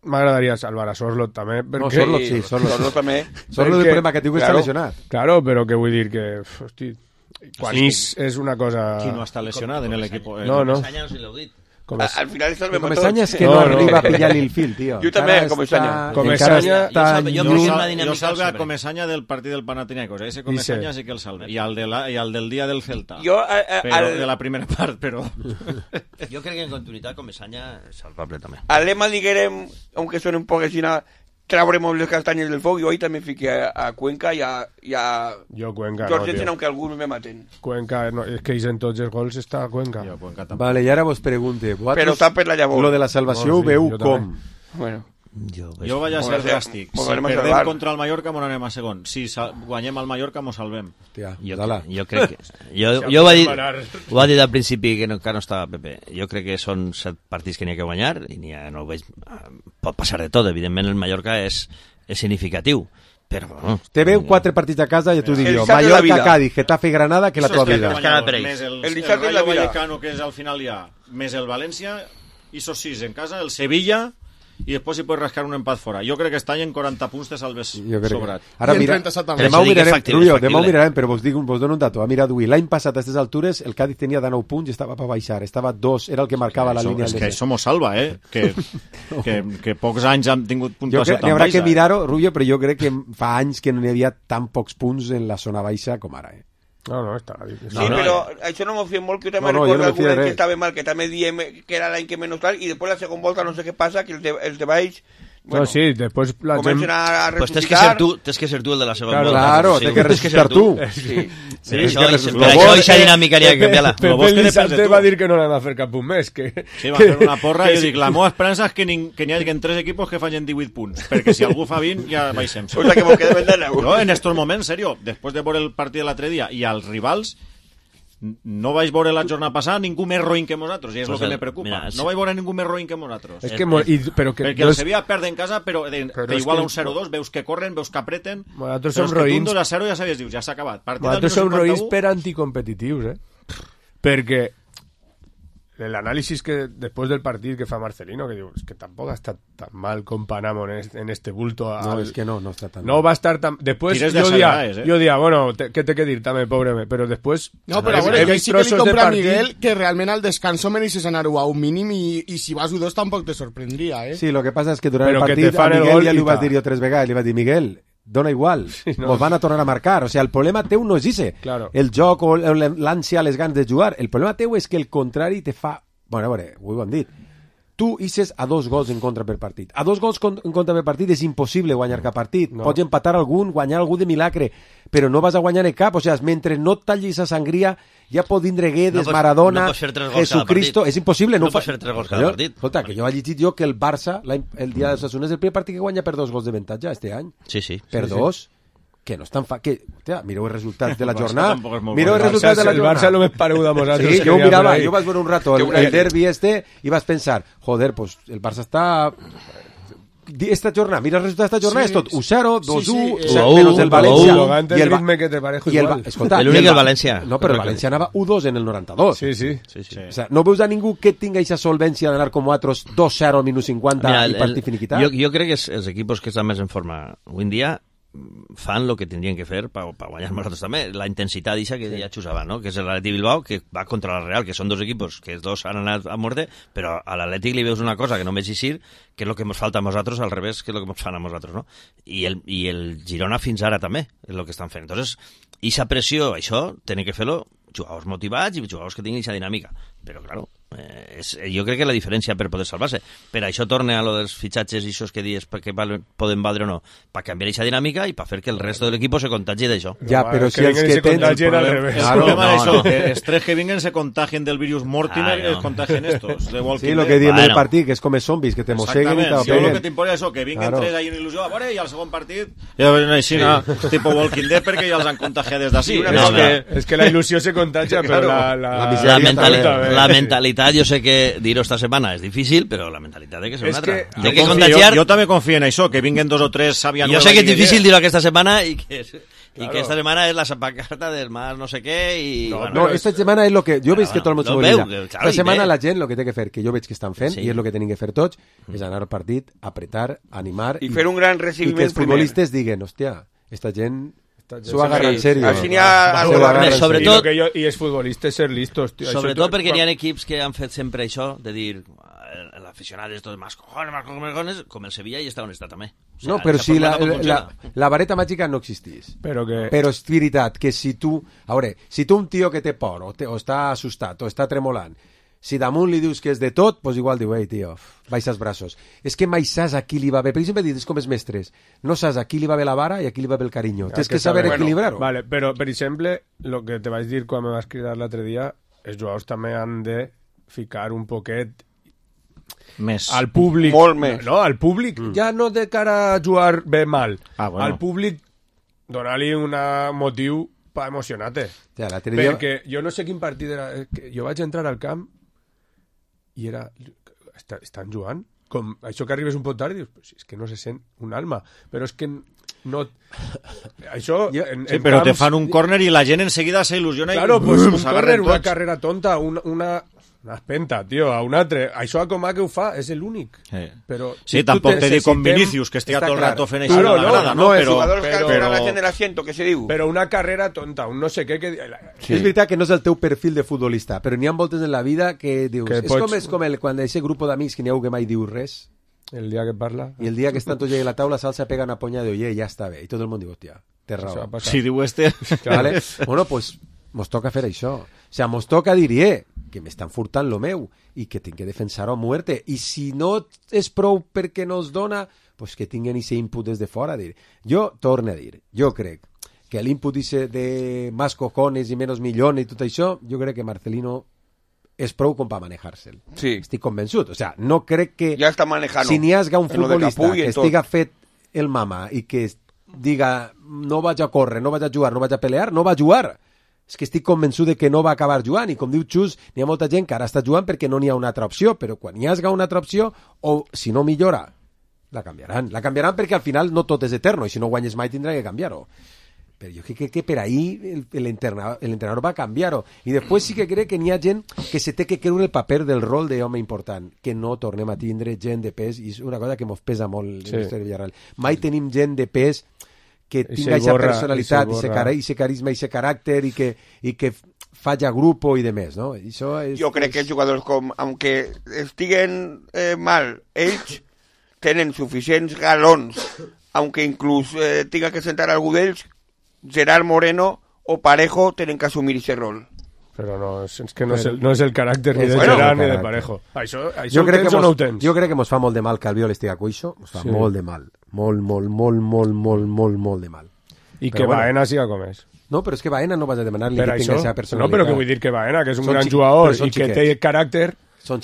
M'agradaria salvar a Sorlot també, perquè... No, Sorlot sí, Sorlot també. Sorlot el problema que diu que està lesionat. Claro, però que vull dir que... Hosti, quan és una cosa... Qui no està lesionat en l'equip? No. Al final salvem a tots. Comesanya és que no arriba a pillar-li el fil, tio. Jo també, Comesanya. Jo salve a Comesanya del partit del Panathinaikos. Ese Comesanya sí que el salve. I el del dia del Celta. De la primera part, però... Jo crec que en continuïtat Comesanya és salvable també. Al lema diguem, aunque suene un poc així, trauremos les castanyes del foc. Jo ahí també fiqué a Cuenca i a Cuenca, Jorgensen, aunque alguns me maten. Cuenca, no, és que en tots els gols està Cuenca. Vale, i ara vos pregunte, però està per la llavor. Lo de la salvació ho veu com? Bueno, jo vaig a ser dràstic. Si perdem contra el Mallorca, m'on anem a segon. Si guanyem al Mallorca, m'ho salvem. Jo crec que... Jo ho va dir al principi que no estava Pepe. Jo crec que són 7 partits que n'hi ha que guanyar i no ho veig... Pot passar de tot. Evidentment, el Mallorca és significatiu. Però, bueno, te veu 4 partits a casa i tu dius Mallorca, Cádiz, Getafe, Granada, que la tua vida. Més el Rayo Vallecano, que és al final ja, més el València, i sos 6 en casa, el Sevilla... i després si pots rascar un empat fora. Jo crec que està en 40 punts te salves sobrat. Ara mira, demà ho mirarem, però vos dono un dato. Ha mirat avui, l'any passat a aquestes altures el Cádiz tenia de 9 punts i estava per baixar, estava 2, era el que marcava la línia. És que això mos salva, que pocs anys han tingut puntuació tan baixa. Haurà que mirar-ho, Rubio, però jo crec que fa anys que no hi havia tan pocs punts en la zona baixa com ara, No, està bé. Sí, però això no m'ho fiem molt, que jo també recordo algun any que estava mal, que també diem que era l'any que menys tal, i després la segona volta no sé què passa, que els de baix... Bueno, no, sí, després la gent... Comencen a Pues resucitar... tens que ser tu el de la segona volta. Claro, tens que resucitar tu. Sí. Per això aquesta dinàmica hauria que canviar-la. Pepe Lizarte va dir que no l'han de fer cap un mes. Sí, va fer una porra i jo dic, la meva esperança és que n'hi hagi 3 equipos que facin 18 punts, perquè si algú fa 20 ja baixem. O sea, que mos quedem de 9. No, en estos moments, serio, després de veure el partit de l'altre dia i als rivals, no vaig veure la jornada passada ningú més roïn que nosaltres, i és el que me preocupa. No vaig veure ningú més roïn que nosaltres. Perquè el Sevilla perd en casa, però igual a un 0-2, veus que corren, veus que apreten, nosaltres som roïns. Un 2-0 ja sabies, dius, ja s'ha acabat. Nosaltres som roïns per anticompetitius, perquè l'anàlisi que després del partit que fa Marcelino, que diu, és que tampoc ha estat tan mal com Panamo en este bulto. No, és que no està tan mal. No va estar tan... Després jo dia, bueno, què té que dir també, pobre me, però després... No, però a veure, jo sí que li compra a Miguel que realment al descanso mereixes anar-ho a un mínim i si vas 1-2 tampoc te sorprendria, Sí, lo que passa és que durant el partit a Miguel ja li ho vas dir jo 3 vegades, li vas dir, Miguel, dona igual, nos van a tornar a marcar, o sea, el problema teu no és ese, el joc o l'ànsia, les ganes de jugar, el problema teu és que el contrari te fa, bueno, a veure, ho hem dit, tu hisses a 2 gols en contra per partit, a 2 gols en contra per partit és impossible guanyar cap partit, pots empatar algun, guanyar algú de milagre, però no vas a guanyar en cap, o sea, mentre no tallis a sangria ja pot vindre Guedes, Maradona, Jesucristo, és impossible. No pots fer 3 gols cada partit. Escolta, que jo he llegit jo que el Barça, el dia de Osasuna, és el primer partit que guanya per 2 gols de avantatge este any. Sí. Per 2, que no és tan mireu els resultats de la jornada. Mireu els resultats de la jornada. El Barça no m'és paregut a nosaltres. Sí, jo ho mirava, jo vaig veure un rato el derbi i vas pensar, joder, pues el Barça està... Esta jornada, mira el resultat d'esta jornada, és tot 1-0, 2-1, menos el València i el ritme que te parejo igual. L'únic el València. No, però el València anava 1-2 en el 92. Sí. O sea, no veus a ningú que tinga aquesta solvència d'anar com altres 2-0 al minut 50 i partit finiquitat? Jo crec que els equipos que estan més en forma avui en dia fan el que tindrien que fer per guanyar nosaltres també, la intensitat d'aixa que ja xusava, no? Que és l'Atlètic Bilbao, que va contra la Real, que són 2 equipos, que els 2 han anat a muerte, però a l'Atlètic li veus una cosa que no veig així, que és el que ens falta a nosaltres, al revés, que és el que ens fan a nosaltres, no? I el Girona fins ara també és el que estan fent. Entonces, aquesta pressió, això, tenen que fer-lo jugadors motivats i jugadors que tinguin aquesta dinàmica. Però, claro, jo crec que la diferència per poder salvar-se. Per això torna a lo dels fitxatges i això que dius que poden valdre o no, per canviar aquesta dinàmica i per fer que el resto de l'equip se contagi d'això. Ja, però si els que tens... El problema d'això, els 3 que vinguen se contagien del virus Mortimer i es contagien estos. Sí, lo que diem del partit, que és com els zombis, que te mosseguen i t'apeguen. Si lo que t'importa és que vinguen 3 ahí en il·lusió, a veure, i al segon partit ja ven així, tipo Walking Dead, perquè ja els han contagiat des d'ací. És que la il·lusió se contagia, però la mentalitat, jo sé que dir-ho esta setmana és difícil, però la mentalitat és que és una altra. Jo també confio en això, que vinguen 2 o 3 sàvia nueva. Jo sé que és difícil dir-ho aquesta setmana i que esta setmana és la sapacarta del más no sé què i... No, esta setmana és el que... Jo veig que tot el món s'ho oblida. Esta setmana la gent el que té que fer, que jo veig que estan fent, i és el que tenen que fer tots, és anar al partit, apretar, animar... I fer un gran recibiment primer. I que els futbolistes diguen, hòstia, esta gent... S'ho agarra en sèrio. Sobretot... I els futbolistes ser listos. Sobretot perquè n'hi ha equips que han fet sempre això, de dir, l'aficionat és tot más cojones, com el Sevilla i està on està també. No, però si la vareta màgica no existís. Però és veritat que si tu... A veure, si tu un tio que té por, o està assustat, o està tremolant, si damunt li dius que és de tot, doncs igual diu, ei, tio, baixa els braços. És que mai saps a qui li va bé. Per exemple, dius com els mestres. No saps a qui li va bé la vara i a qui li va bé el carinyo. Tens que saber equilibrar-ho. Vale, però, per exemple, el que te vaig dir quan me vas cridar l'altre dia, els jugadors també han de ficar un poquet més al públic. Molt més. No, al públic. Ja no de cara a jugar bé mal. Bueno. Al públic donar-li un motiu per emocionar-te. Ja, perquè jo no sé quin partit era. Jo vaig entrar al camp i era... Estan jugant? Com això que arribes un poc tard i dius, pues és que no se sent un alma. Però és que no... Això... Sí, però te fan un córner i la gent enseguida s'il·lusiona claro, i... pues un córner, una carrera tonta, una Una espenta, tio, a un altre. Això a Comà que ho fa, és l'únic. Però sí, tampoc te dic con Vinicius, que estigui tot el rato fent això a la grada, no? Però jugadors que alçan la gent de l'asiento, que se diu. Però una carrera tonta, un no sé què... Sí. És veritat que no és el teu perfil de futbolista, però n'hi ha voltes en la vida que dius... Que és com quan d'aquest grup d'amics que n'hi ha que mai diu res. El dia que parla. I el dia que estan tots a la taula, Salsa pega una ponya de oye, ja està bé. I tot el món diu, hòstia, té raó. Si diu Vale? Bueno, pues mos toca fer això. O sea, mos toca dir, que m'estan furtant lo meu i que tinc que defensar-ho a muerte. I si no és prou perquè no es dona, pues que tinguen ese input des de fora. Jo torno a dir, jo crec que l'input de más cojones i menos millones i tot això, jo crec que Marcelino és prou com per manejar-se'l. Sí. Estic convençut. O sea, no crec que... Ja està manejant. Si n'hi hagi un futbolista que estiga fet el mama i que diga no vaig a córrer, no vaig a jugar, no vaig a pelear, no va a jugar. És que estic convençut de que no va acabar jugant i com diu Xus, n'hi ha molta gent que ara està jugant perquè no n'hi ha una altra opció, però quan hi hagi una altra opció o si no millora, la canviaran. La canviaran perquè al final no tot és eterno i si no guanyes mai tindrà que canviar-ho. Però jo crec que per ahí l'entrenador va canviar-ho. I després sí que crec que n'hi ha gent que se té que creure el paper del rol d'home important, que no tornem a tindre gent de pes, i és una cosa que mos pesa molt en el Villarreal. Mai tenim gent de pes que tinga aquesta personalitat, i ese carisma, i ese caràcter, i que falla grupo i demés, no? Jo crec que jugadors com, aunque estiguen mal, ells tenen suficients galons, aunque inclús tinga que sentar algú d'ells, Gerard Moreno o Parejo tenen que assumir aquest rol. Però no, és que no és el caràcter ni de Gerard ni de Parejo. Això jo crec que no ho tens. Jo crec que mos fa molt de mal que Albiol estigui a cuixo, mos fa molt de mal. Molt de mal. I que Baena siga com és. No, però és que Baena no vas a demanar-li que tingui la seva personalitat. No, però que vull dir que Baena, que és un gran jugador i que té caràcter,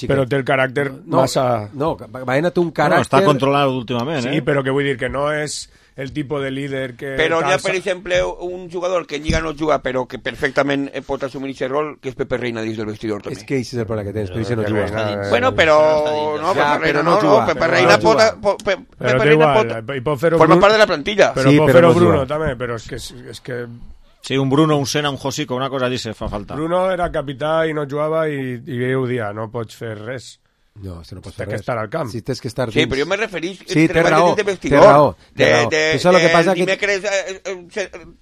però té el caràcter massa... No, Baena té un caràcter... No, està controlat últimament, Sí, però que vull dir que no és el tipus de líder que... Però hi ha, per exemple, un jugador que en Lliga no juga, però que perfectament pot assumir aquest rol, que és Pepe Reina dins del vestidor, també. És que això és el problema que tens, però això no juga. Bueno, però... No, Pepe Reina no, Pepe Reina pot... Però té igual, i pot fer-ho... Forma part de la plantilla. Però pot fer-ho Bruno, també, però és que... Sí, un Bruno, un Sena, un Josico, una cosa dice, fa falta. Bruno era capità i no jugava i ho dia, no pots fer res. No, no pots fer res. Tens que estar al camp. Sí, tens que estar dins. Sí, però jo me referís té raó, té raó. Dimecres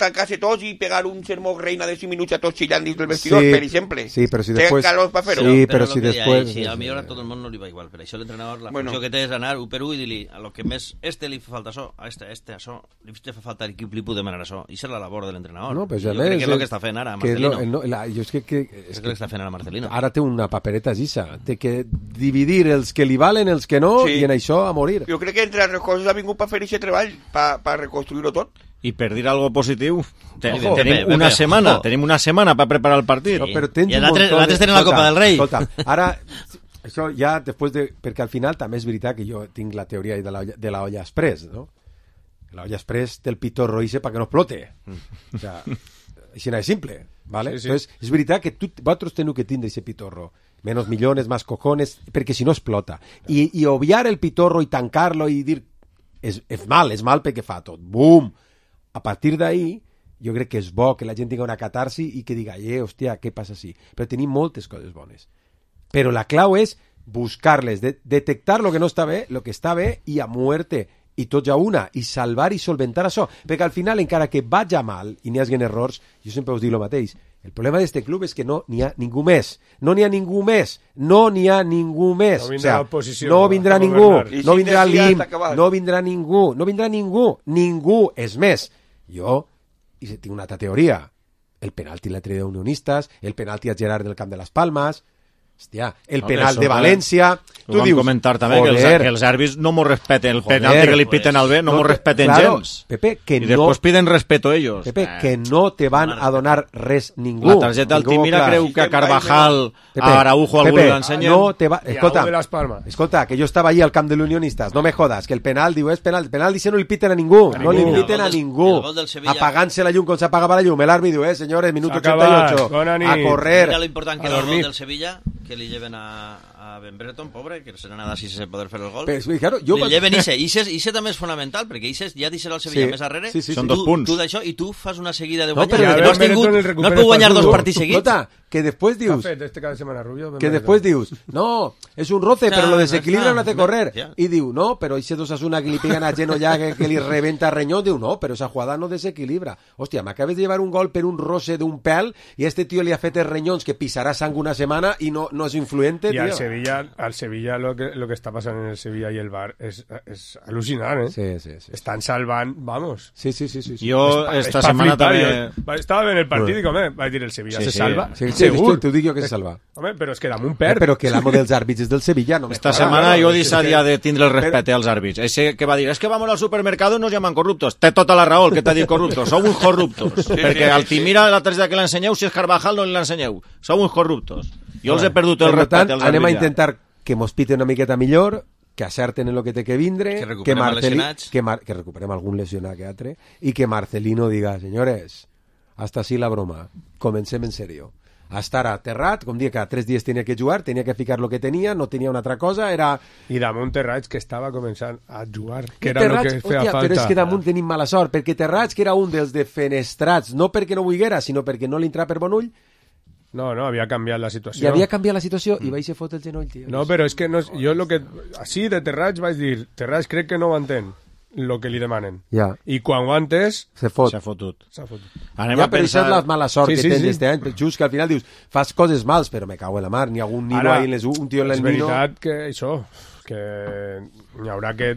tancar-se tots i pegar un sermó reina de 5 minuts a tots xillant dins del vestidor, per exemple. Sí, però si després... Té calor per fer-ho. Sí, però si després... Sí, a millor a tot el món no li va igual, per això l'entrenador, la funció que té és anar un per un i dir-li a lo que més li fa falta això, a això, li fa falta l'equip, li puc demanar això. I és la labor de l'entrenador. No, però jo crec que és el que està fent ara Marcelino. Jo és que... És el que està fent ara Marcelino. Ara té una papereta gisa, té que dividir els que li valen, els que no, i en això a morir. Jo crec que entre altres coses ha vingut per fer aquest treball, per reconstruir-ho tot. I per dir algo positiu, tenim una setmana per preparar el partit. No, però tens I l'altre tenen la Copa del Rei. Escolta, ara, això ja després de... Perquè al final també és veritat que jo tinc la teoria de la olla express, no? La olla express té el pitorro ese para que no explote. O sea, així no és simple, ¿vale? Sí. Entonces, és veritat que vosaltres teniu que tindre ese pitorro. Menos millones, más cojones, perquè si no explota. I obviar el pitorro i tancar-lo i dir és mal perquè fa tot. Bum! A partir d'ahí, jo crec que és bo que la gent tinga una catarsi i que diga, hòstia, què passa així? Però tenim moltes coses bones. Però la clau és buscar-les, detectar lo que no està bé, lo que està bé i a muerte, i tots a una, i salvar i solventar això. Perquè al final, encara que vagi mal i n'hi hagi errors, jo sempre us dic el mateix, el problema d'este club és que no n'hi ha ningú més. No n'hi ha ningú més. No n'hi ha ningú més. No vindrà l'oposició. No vindrà ningú. No vindrà l'IM. No vindrà ningú. No vindrà ningú. Ningú. És més, jo tinc una altra teoria. El penalti l'altre de Unionistes, el penalti a Gerard del Camp de les Palmes, hòstia, el penal de València... Tu dius, comentar també que els àrbits no m'ho respeten, el penalti que li piten al B no m'ho respeten gens. Pepe, que i després piden respeto ellos. Pepe, que no te van a donar res ningú. La targeta Altimira creu que a Carvajal, a Araujo algú l'ensenyen. Escolta, que jo estava allí al camp de l'Unionistes, no me jodas, que el penal diu és penal, el penal dice no li piten a ningú, no li piten a ningú. Apagant-se la llum com s'apagava la llum, el àrbit diu, senyores, minut 88, a correr, mira lo important que era el gol del Sevilla, que li lleven a Ben Breton, pobre, que se n'ha anat així sense poder fer el gol. Però, claro, jo... Li lleven Ixe també és fonamental, perquè Ixe ja deixarà el Sevilla més darrere. Són 2 punts. Tu d'això, i tu fas una seguida de No, guanyar. però No has pogut guanyar 2 partits seguits. Escolta, que després dius... Este cada setmana, Rubio. Que després dius, no, és un roce, però lo desequilibra no té correr. Ja. I diu, no, però ese Osasuna que li peguen a Geno ya que li rebenta Reñón, diu, no, però esa jugada no desequilibra. Hòstia, m'acabes de llevar un gol per un roce d'un pèl i este tío li ha fet els renyons que pisarà sang una setmana i no és influente, Y tío. al Sevilla lo que está pasando en el Sevilla y el Bar es alucinante, ¿eh? Sí. Están salvando, vamos. Sí. Jo esta setmana també... Estava en el partit i com va dir el Sevilla, se salva. Sí, segur. t'ho dic jo que se salva. Home, però és que damunt perd. Però que l'amo dels àrbits és del Sevilla, no Esta setmana jo deixaria de tindre el respecte als àrbits. Ese que va dir, es que vamos al supermercado y nos llaman corruptos. Té tota la raó el que t'ha dit corruptos. Sou uns corruptos. Perquè Altimira, l'altre dia que l'ensenyeu, si és Carvajal no l'ensenyeu. Sou uns corruptos. Jo els he perdut el respecte als àrbits. Anem a intentar que mos pite una miqueta millor, que acerten en lo que té que vindre, que recuperem algun lesionat que altre, i que Marcelino diga, señores, hasta así la broma, comencem en serio. Hasta ara aterrat, com dia, cada 3 dies tenia que jugar, tenia que ficar lo que tenia, no tenia una altra cosa, era... I damunt Terrats, que estava començant a jugar, que era el que feia falta. Però és que damunt tenim mala sort, perquè Terrats, que era un dels defenestrats, no perquè no volguera, sinó perquè no li entrava per bon ull, No, havia canviat la situació. I havia canviat la situació i vaig ser fot el genoll, tio. No, però és que no, jo lo que... Així de Terrats vaig dir, Terrats crec que no ho entén, lo que li demanen. Ja. I quan ho ha entès... Se fot. S'ha fotut. Anem a pensar... Però això és la mala sort que tens este any. Just que al final dius, fas coses mals, però me cago en la mar, ni algun nino ahí, un tio en el nino... És veritat que això, que n'hi haurà que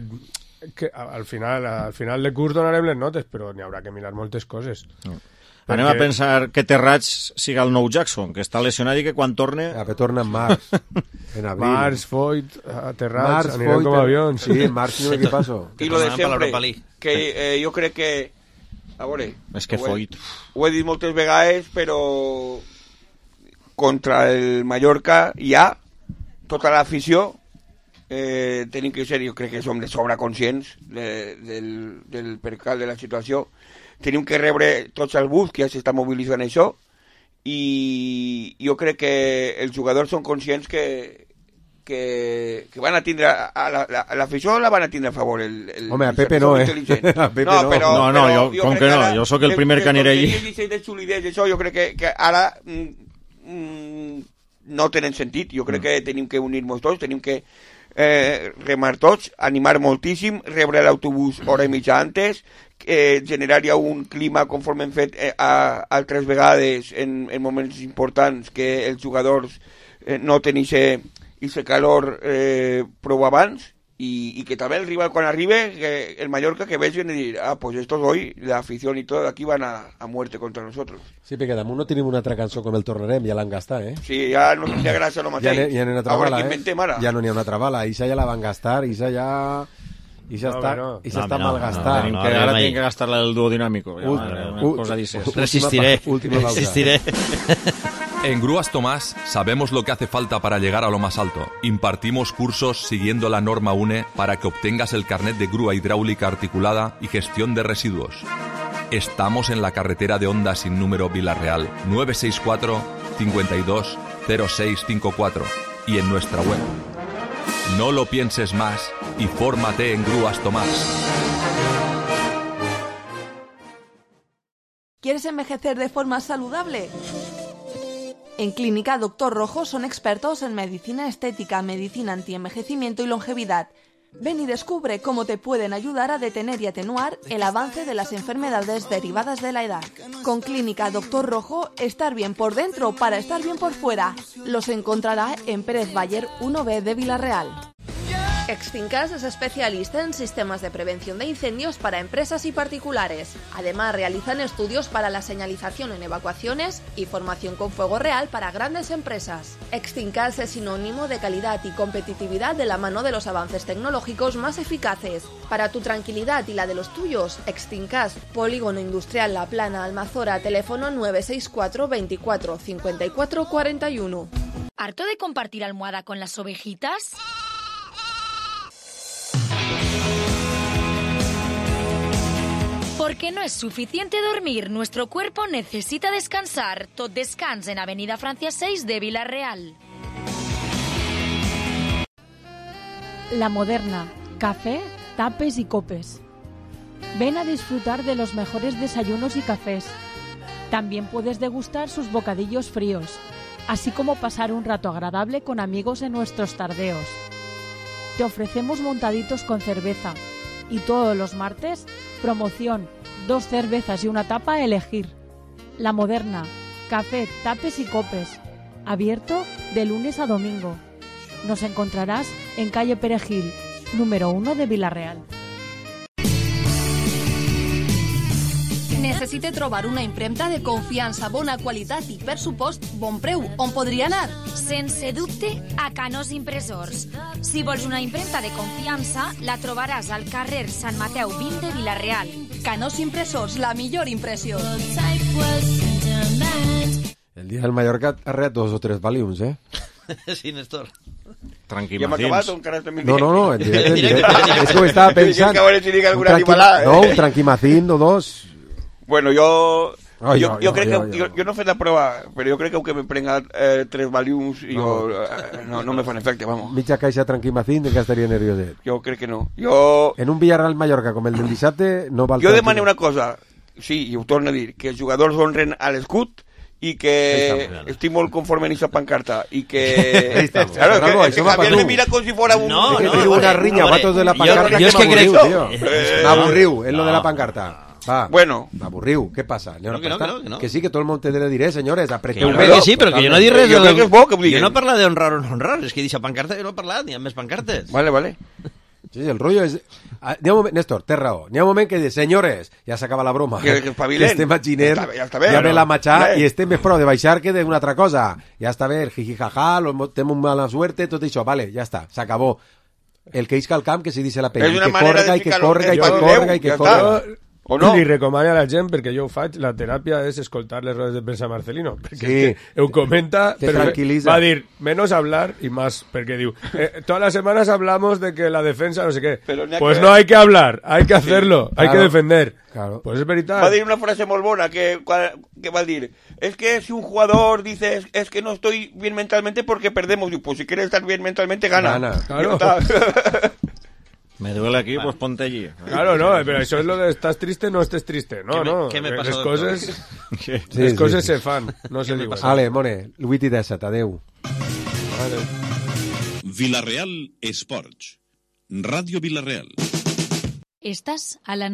al final de curs donarem les notes, però n'hi haurà que mirar moltes coses. Anem a pensar que Terrats siga el nou Jackson, que està lesionat i que quan torne... que torna en març, en abril. Març, Foyt, Terrats, anirem com avions. Sí, en març no què passo. I lo de sempre, que jo crec que... A veure... És que Foyt... Ho he dit moltes vegades, però contra el Mallorca ja tota l'afició tenim que ser, jo crec que som de sobre conscients del percal de la situació. Tenim que rebre tots els bus que ja s'està mobilitzant això i jo crec que els jugadors són conscients que van a tindre a l'afició la van a tindre a favor home, a Pepe no, a Pepe no, jo com que no, jo sóc el primer que aniré allí jo crec que ara no tenen sentit, jo crec que tenim que unir-nos tots, tenim que remar tots, animar moltíssim, rebre l'autobús hora i mitja antes, generar ja un clima conforme hem fet altres vegades en moments importants que els jugadors noten aquest calor prou abans y que també el rival quan arribe el Mallorca que vegin i dir pues estos hoy, la afición y todo aquí van a muerte contra nosotros. Sí, perquè damunt no tenim una altra cançó com el tornarem, ja l'han gastat, Sí, ja no tindria gràcia no mateix. Ja n'hi ha una altra bala, Ja no n'hi ha una altra bala, Ixa ja la van gastar, Ixa ja... I ja està malgastat. Ara tinc que gastar-la del duodinàmico. Resistiré. En Grúas Tomás sabemos lo que hace falta para llegar a lo más alto. Impartimos cursos siguiendo la norma UNE para que obtengas el carnet de grúa hidráulica articulada y gestión de residuos. Estamos en la carretera de Honda sin número Villarreal 964 52 0654 y en nuestra web. No lo pienses más y fórmate en Grúas Tomás. ¿Quieres envejecer de forma saludable? En Clínica Doctor Rojo son expertos en medicina estética, medicina antienvejecimiento y longevidad. Ven y descubre cómo te pueden ayudar a detener y atenuar el avance de las enfermedades derivadas de la edad. Con Clínica Doctor Rojo, estar bien por dentro para estar bien por fuera. Los encontrará en Pérez Bayer 1B de Villarreal. Extinkas es especialista en sistemas de prevención de incendios para empresas y particulares. Además, realizan estudios para la señalización en evacuaciones y formación con fuego real para grandes empresas. Extinkas es sinónimo de calidad y competitividad de la mano de los avances tecnológicos más eficaces. Para tu tranquilidad y la de los tuyos, Extinkas, Polígono Industrial La Plana, Almazora, teléfono 964 24 54 41. ¿Harto de compartir almohada con las ovejitas? Porque no es suficiente dormir, nuestro cuerpo necesita descansar. Tot descans en Avenida Francia 6 de Villarreal. La Moderna, café, tapes y copes. Ven a disfrutar de los mejores desayunos y cafés. También puedes degustar sus bocadillos fríos, así como pasar un rato agradable con amigos en nuestros tardeos. Te ofrecemos montaditos con cerveza y todos los martes, promoción, 2 cervezas y una tapa a elegir. La Moderna, café, tapes y copes. Abierto de lunes a domingo. Nos encontraràs en calle Perejil, número 1 de Vila-real. Necessite trobar una impremta de confiança, bona qualitat i, per supost, bon preu. On podria anar? Sense dubte, a Canós Impressors. Si vols una impremta de confiança, la trobaràs al carrer Sant Mateu 20 de Vila-real. Canós Impressors, la millor impressió. El día del Mallorca ha reat 2 o 3 Valiums, ¿eh? Sí, Néstor. Ja hem acabat o encara estem en directe? No, en directe. És que ho estava pensant. Un tranquimacín o 2. Bueno, jo crec que... Jo no he fet la prova, però jo crec que me prenga 3 Valiums i no me fan efecte, vamos. Mitja caixa tranquimacín de que estaria nervioset. Jo crec que no. En un Villarreal Mallorca com el del dissabte no val... Jo demano una cosa, sí, i ho torno a dir, que els jugadors honren a l'escut i que estic molt conforme en aquesta pancarta i que... Claro, que Javier me mira com si fuera un... No, una riña, vatos de la pancarta que m'avorriu, tío. M'avorriu, en lo de la pancarta. Va, bueno, aburriu, ¿qué pasa? No. Que sí, que todo el mundo te debe dir, señores, apreteu bé. Que sí, però que jo no dic res. Jo crec que és bo que ho diguin. Jo no parla d'honrar o no honrar, és que deixa pancarta jo no he parlat, n'hi ha més pancartes. Vale. Sí, el rollo és... Néstor, té raó. N'hi ha un moment que dius, senyores, ja s'acaba la broma. Que estem a Giner, ja ve la matxà i estem més prou de baixar que d'una altra cosa. Ja està bé, el jijijaja, tenim una mala suerte, tot això, vale, ja està, s'acabó. El que isca al camp, que se dice la pena. I que corga. O no? Li recomano a la gent, perquè jo ho faig, la teràpia és escoltar les rodes de premsa Marcelino, perquè ho comenta, però va dir, menos hablar y más, perquè diu, todas las semanas hablamos de que la defensa no sé qué, pues no hay que hablar, hay que hacerlo, hay que defender. Claro. Pues es verdad. Va a decir una frase molt bona que va a decir, es que si un jugador dice, es que no estoy bien mentalmente porque perdemos, pues si quieres estar bien mentalmente, gana. Claro. Me duele aquí, pues ponte allí. Claro, no, pero eso es lo de estás triste, no estés triste. No. ¿Qué me pasó, les coses se fan, no se diuen. Ale, Mone, 8 i 17, adeu. Vila-real Esports. Ràdio Vila-real. Estàs a la